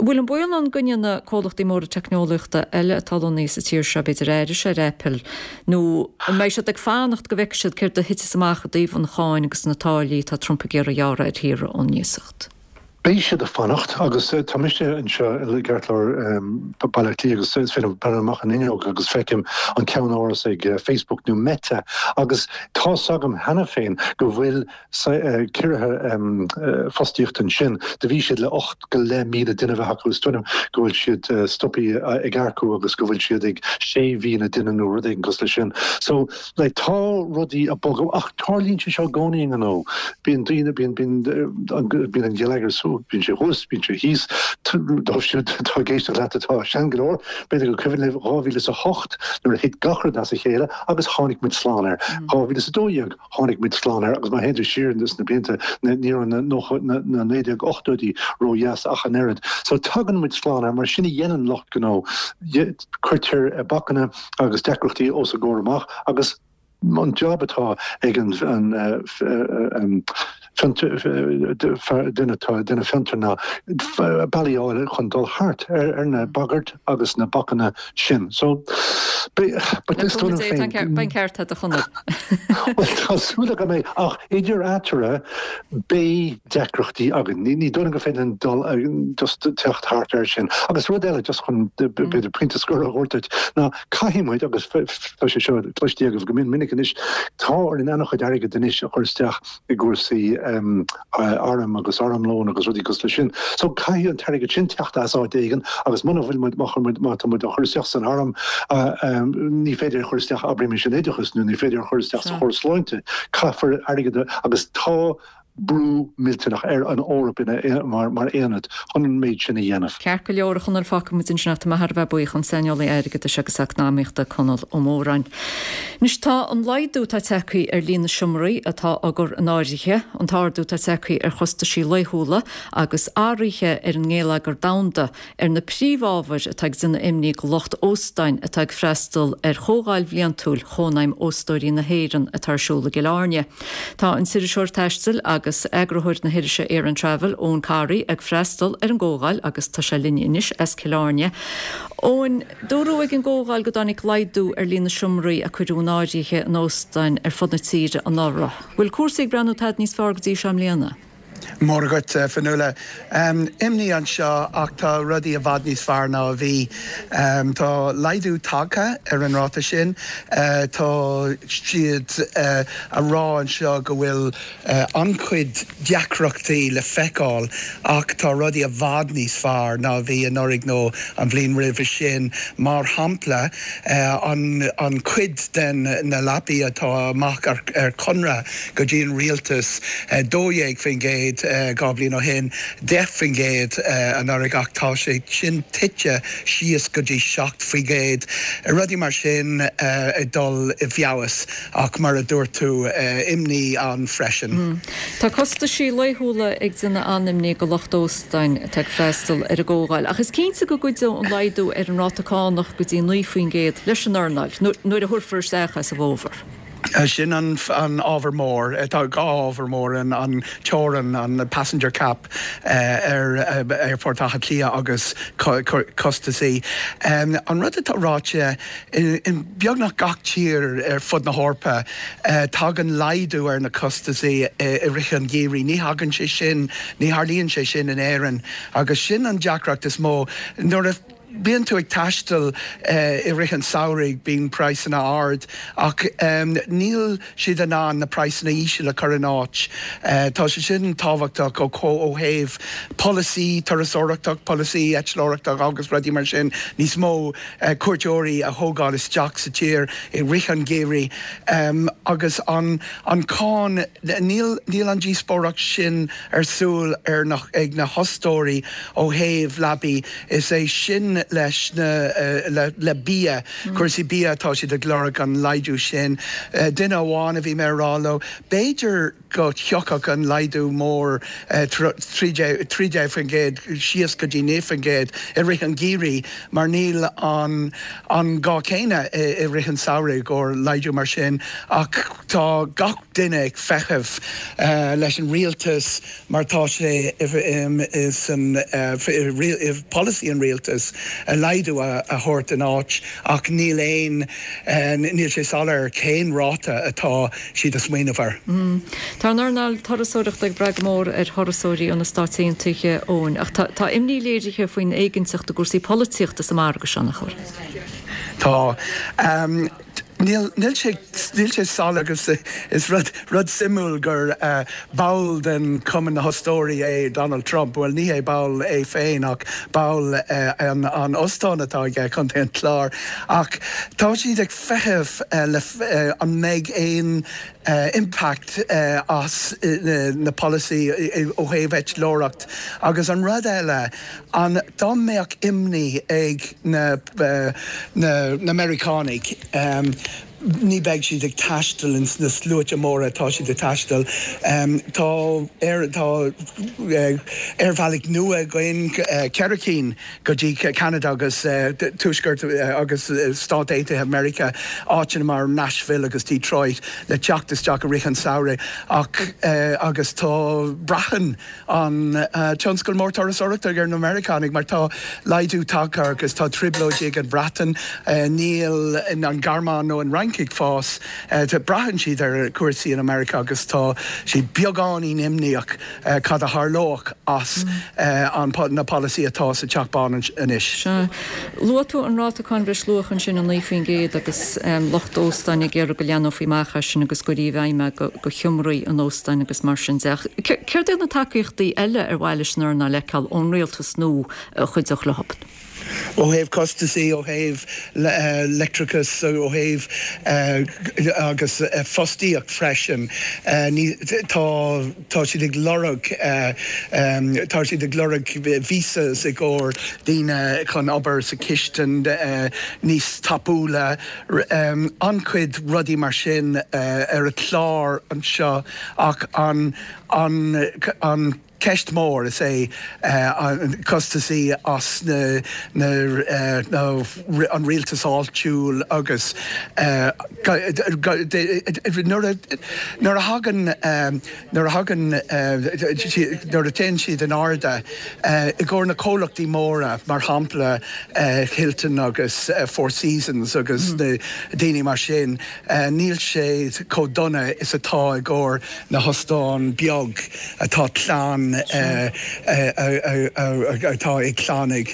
bhfuil an baol ann go ndéanfaidh comhlachtaí móra teicneolaíochta eile atá lonnaithe sa tír seo, b'fhéidir aithris ar Apple, nó an mbeidh siad ag fanacht go bhfeicfidh siad céard a thitfeas amach i dtaobh an cháin agus na táillí atá Trump ag iarraidh a ghearradh ar thíortha ón iasacht? Beidh siad ag fanacht agus tá mise anseo i gceartlár Baile Átha Cliath agus is féidir liom breathnú amach an fhuinneog agus feicim an ceannáras ag Facebook nó Meta agus tá's agam cheana féin go bhfuil ciorruithe fostaíochta ansin. Do bhí siad le ocht go leith míle duine a bheith acu is dóigh liom go bhfuil siad stoptha ag earcú agus go bhfuil siad ag sé mhíle duine nó rud éigin cosúil leis sin. So like tá rudaí ag bogadh ach tarlaíonn sé seo i gcónaí i ngnó. Bíonn daoine, bíonn, bíonn, bíonn an geilleagar bíonn sé thuas, bíonn sé thíos, dóibh siúd atá ag éisteacht leat atá sean go leor, b'fhéidir gur cuimhin libh dhá mhíle is a hocht nuair a thit gach rud as a chéile agus tháinig muid slán air. Dhá mhíle is a dó dhéag tháinig muid slán air agus má théann tú siar sna blianta ní raibh na nócha, na naoi déag ochtóidí ródheas ach an oiread. So tagann muid slán air mar sin a dhéanann lucht gnó, cuirtear bacanna agus deacrachtaí os a gcomhair amach agus, An job atá ag an duine atá duine fiontair ná bealaí a fháil chun dul thart ar na bagairt agus na bacanna sin. So, but is dóigh liom féin. Beidh an ceart agat a Chonaill. Bhuel, Tá súil agam é, ach idir eatarthu beidh deacrachtaí againn. Ní dóigh liom gur féidir linn dul just teacht thart air sin. Agus rud eile just chun b'fhéidir pointe scoir a thabhairt duit ná caithfidh muid, agus tá sé seo cloiste agaibh go mion minic anois, tá orainn an-chuid airgid anois a chur isteach i gcúrsaí airm agus armlón agus rudaí cosúil leis sin. So caithfidh an t-airgead sin teacht as áit éigin agus muna bhfuil muid, má chuir muid, má tá muid á chur isteach san arm, ní féidir é a chur isteach, abraimis, in oideachas nó ní féidir é a chur isteach sa chóras sláinte. Caithfear airgead a, agus tá brú millteanach ar an Eoraip ina, mar, mar aonad chun an méid sin a dhéanamh. Ceart go leor, a Chonaill, fágfaidh muid ansin é. Tá mé thar a bheith buíoch, an saineolaí airgeadais agus eacnamaíochta Conall Ó Móráin. Anois tá an laghdú atá tagtha ar líon na seomraí atá á gcur in áirithe, an t-ardú atá tagtha ar chostaisí laethúla agus athruithe ar an ngeilleagar domhanda ar na príomhábhair atá ag déanamh imní go lucht óstáin atá ag freastal ar chomhdháil bhliantúil Chónaidhm Óstóirí na hÉireann atá ar siúl i gCill Airne. Tá an t-iriseoir taistil agus eagarthóir na hirise Aran Travel, Eoin Corry, ag freastal ar an gcomhdháil agus tá sé linn anois as Cill Airne. Eoin, dúradh ag an gcomhdháil go dtáinig laghdú ar líon na seomraí a cuireadh in áirithe in óstáin ar fud na tíre anuraidh. Bhfuil cúrsaí ag breathnú tada níos fearr go dtí seo i mbliana? Móra dhuit, Fionnuala. Imní anseo ach tá rudaí i bhfad níos fearr ná a bhí. Tá laghdú tagtha ar an ráta sin. Tá siad a rá anseo go bhfuil an-chuid deacrachtaí le feiceáil ach tá rudaí i bhfad níos fearr ná a bhí anuraidh nó an bhliain roimhe sin. Mar shampla, an chuid den na leapaí atá amach ar conradh go dtí an rialtas, dó dhéag faoin gcéad dhá bhliain ó shin, deich faoin gcéad anuraidh ach tá sé sin tite síos go dtí seacht faoin gcéad. Rudaí mar sin ag dul i bhfeabhas ach mar a dúirt tú, imní ann freisin. Tá costaisí laethúla ag déanamh an-imní go lucht óstáin atá ag freastal ar an gcomhdháil ach is cinnte go gcuideoidh an laghdú ar an ráta cánach go dtí naoi faoin gcéad leis an earnáil nuair a thabharfar isteach é sa bhfómhar. Sin an ábhar mór. Tá dhá ábhar mór, an teorainn, an passenger cap ar Aerfort Átha Cliath agus costasaí. An rud atá ráite, in beagnach gach tír ar fud na hEorpa, tagann laghdú ar na costasaí i rith an gheimhridh. Ní thagann sé sin, ní tharlaíonn sé sin in Éirinn agus sin an deacracht is mó. Nuair a bíonn tú ag taisteal i rith an samhraidh, bíonn praghsanna ard ach níl siad in ann na praghsanna íseal a chur in áit. Tá sé sin tábhachtach ó thaobh polasaí turasóireachta, polasaí eitleoireachta agus rudaí mar sin, níos mó cuairteoirí a thógáil isteach sa tír i rith an gheimhridh. Agus an cáin, níl níl an díospóireacht sin ar siúl ar na ag na hostóirí ó thaobh leapaí, is é sin leis na le le bia, cúrsaí bia atá siad ag lorg an laghdú sin. Duine amháin a bhí mé a rá leo, b'fhéidir go thiocfadh an laghdú mór trí déag faoin gcéad síos go dtí naoi faoin gcéad i rith an gheimhridh mar níl an an gá céanna i rith an samhraidh i gcomhair laghdú mar sin ach tá gach duine ag feitheamh leis an rialtas mar tá sé san i polasaí an rialtais laghdú a thabhairt in áit ach níl aon níl sé soiléir cén ráta atá siad ag smaoineamh air. Tá an earnáil turasóireachta ag brath go mór ar thurasóirí ó na Stáit Aontaithe, Eoin, ach tá imní léirithe faoin éiginnteacht i gcúrsaí polaitíochta sa margadh seo, nach bhfuil? Tá. Níl níl sé níl sé soiléir agus is rud rud suimiúil gur ball den Cumann na hOstóirí é Donald Trump, bhuel ní hé ball é féin ach ball an an óstán atá aige, Contae an Chláir. Ach tá siad ag feitheamh le an mbeidh aon impact as na polasaí ó thaobh eitleoireacht agus an rud eile an dá mbeadh imní ag na na Meiriceánaigh ní bheidh siad ag taisteal ins na sluaite móra atá siad ag taisteal. Tá aer tá aerbhealaigh nua againn, ceithre cinn go dtí Ceanada agus Tuaisceart agus Stáit Aontaithe Meiriceá, áiteanna mar Nashville agus Detroit le teacht isteach i rith an samhraidh ach agus tá braitheann an tionscal mór turasóireachta ar na Meiriceánaigh mar tá laghdú tagtha agus tá trioblóidí ag an Bhreatain, níl an Ghearmáin nó an Fhrainc Fhrainc ag fás, braitheann siad ar cúrsaí in America agus tá siad beagáinín imníoch cad a tharlódh as an na polasaí atá sa Teach Bán anois. Sea. Luaigh tú an ráta cáin bhreisluacha ansin, a naoi faoin gcéad, agus lucht óstáin ag iarraidh go leathnófaí amach as sin agus go gcuirfí i bhfeidhm é go sheomraí an óstáin agus mar sin de. Ach céard iad na tacaíochtaí eile ar mhaith leis an earnáil a fheiceáil ón rialtas nó a chuideodh leo? Ó thaobh costasaí, ó thaobh leictreachas, ó thaobh agus fostaíocht freisin. Ní, tá, tá siad ag lorg, tá siad ag lorg visas i gcomhair daoine chun obair sa chistin níos tapúla. An-chuid rudaí mar sin ar an chlár anseo ach an, an, an ceist mór is ea an costasaí as na, na, na, an rialtas áitiúil agus nuair a, nuair a thagann, nuair a thagann, nuair a téann siad in airde i gcomhair na comhlachtaí móra, mar shampla Hilton agus Four Seasons agus na daoine mar sin, níl sé chomh dona is atá i gcomhair na hóstán beag atá clann atá ag clann ag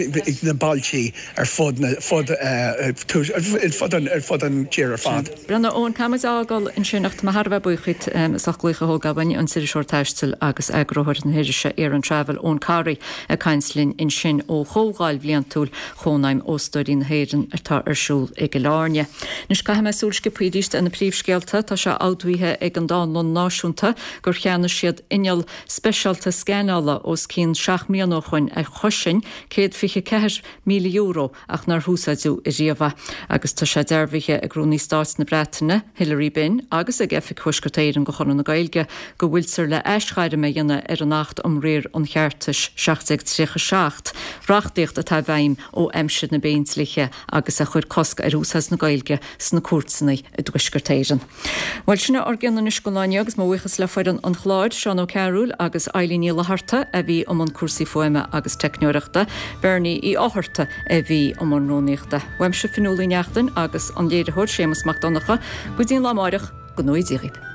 na bailtí ar fud na fud ar fud an tír ar fad. Bhuel a Eoin, caithfidh muid a fhágáil ansin ach tá mé thar a bheith buíoch díot as ucht glaoch a thógáil uainn, an t-iriseoir taistil agus eagarthóir na hirise Aran Travel, Eoin Corry ag caint linn ansin ó chomhdháil bhliantúil Chónaidhm Óstóirí na hÉireann atá ar siúl i gCill Airne. Anois caithfidh mé súil sciobtha arís ar na príomhscéalta. Tá sé admhaithe ag an Dánlann Náisiúnta gur cheannaigh siad inneall speisialta scanála os cionn seacht mbliana ó shoin a chosain céad fiche ceathair míle euro ach nár húsáideadh ariamh é. Agus tá sé dearbhaithe ag Rúnaí Stáit na Breataine, Hilary Benn, agus ag Oifig Thuaisceart Éireann de Chonradh na Gaeilge go bhfuiltear le aisghairm a dhéanamh ar an Acht um Riar an Cheartais seacht déag tríocha seacht, reachtaíocht atá i bhfeidhm ó aimsir na bPéindlíthe agus a chuir cosc ar úsáid na Gaeilge sna cúirteanna i dTuaisceart Éireann. Bhuel, sin é ár gcion anois don lá inniu agus mo bhuíochas le foireann an chláir, Seán Ó Cearúil agus Eilín Ní Fhlatharta a bhí i mbun cúrsaí fuaime agus teicneoireachta, Bernie Uí Fhátharta a bhí i mbun rúnaíochta. Uaimse Fionnuala Uí Neachtain agus an léiritheoir Séamus Mac Donncha, go dtí an lá amáireach, go ngnóthaí Dia dhaoibh.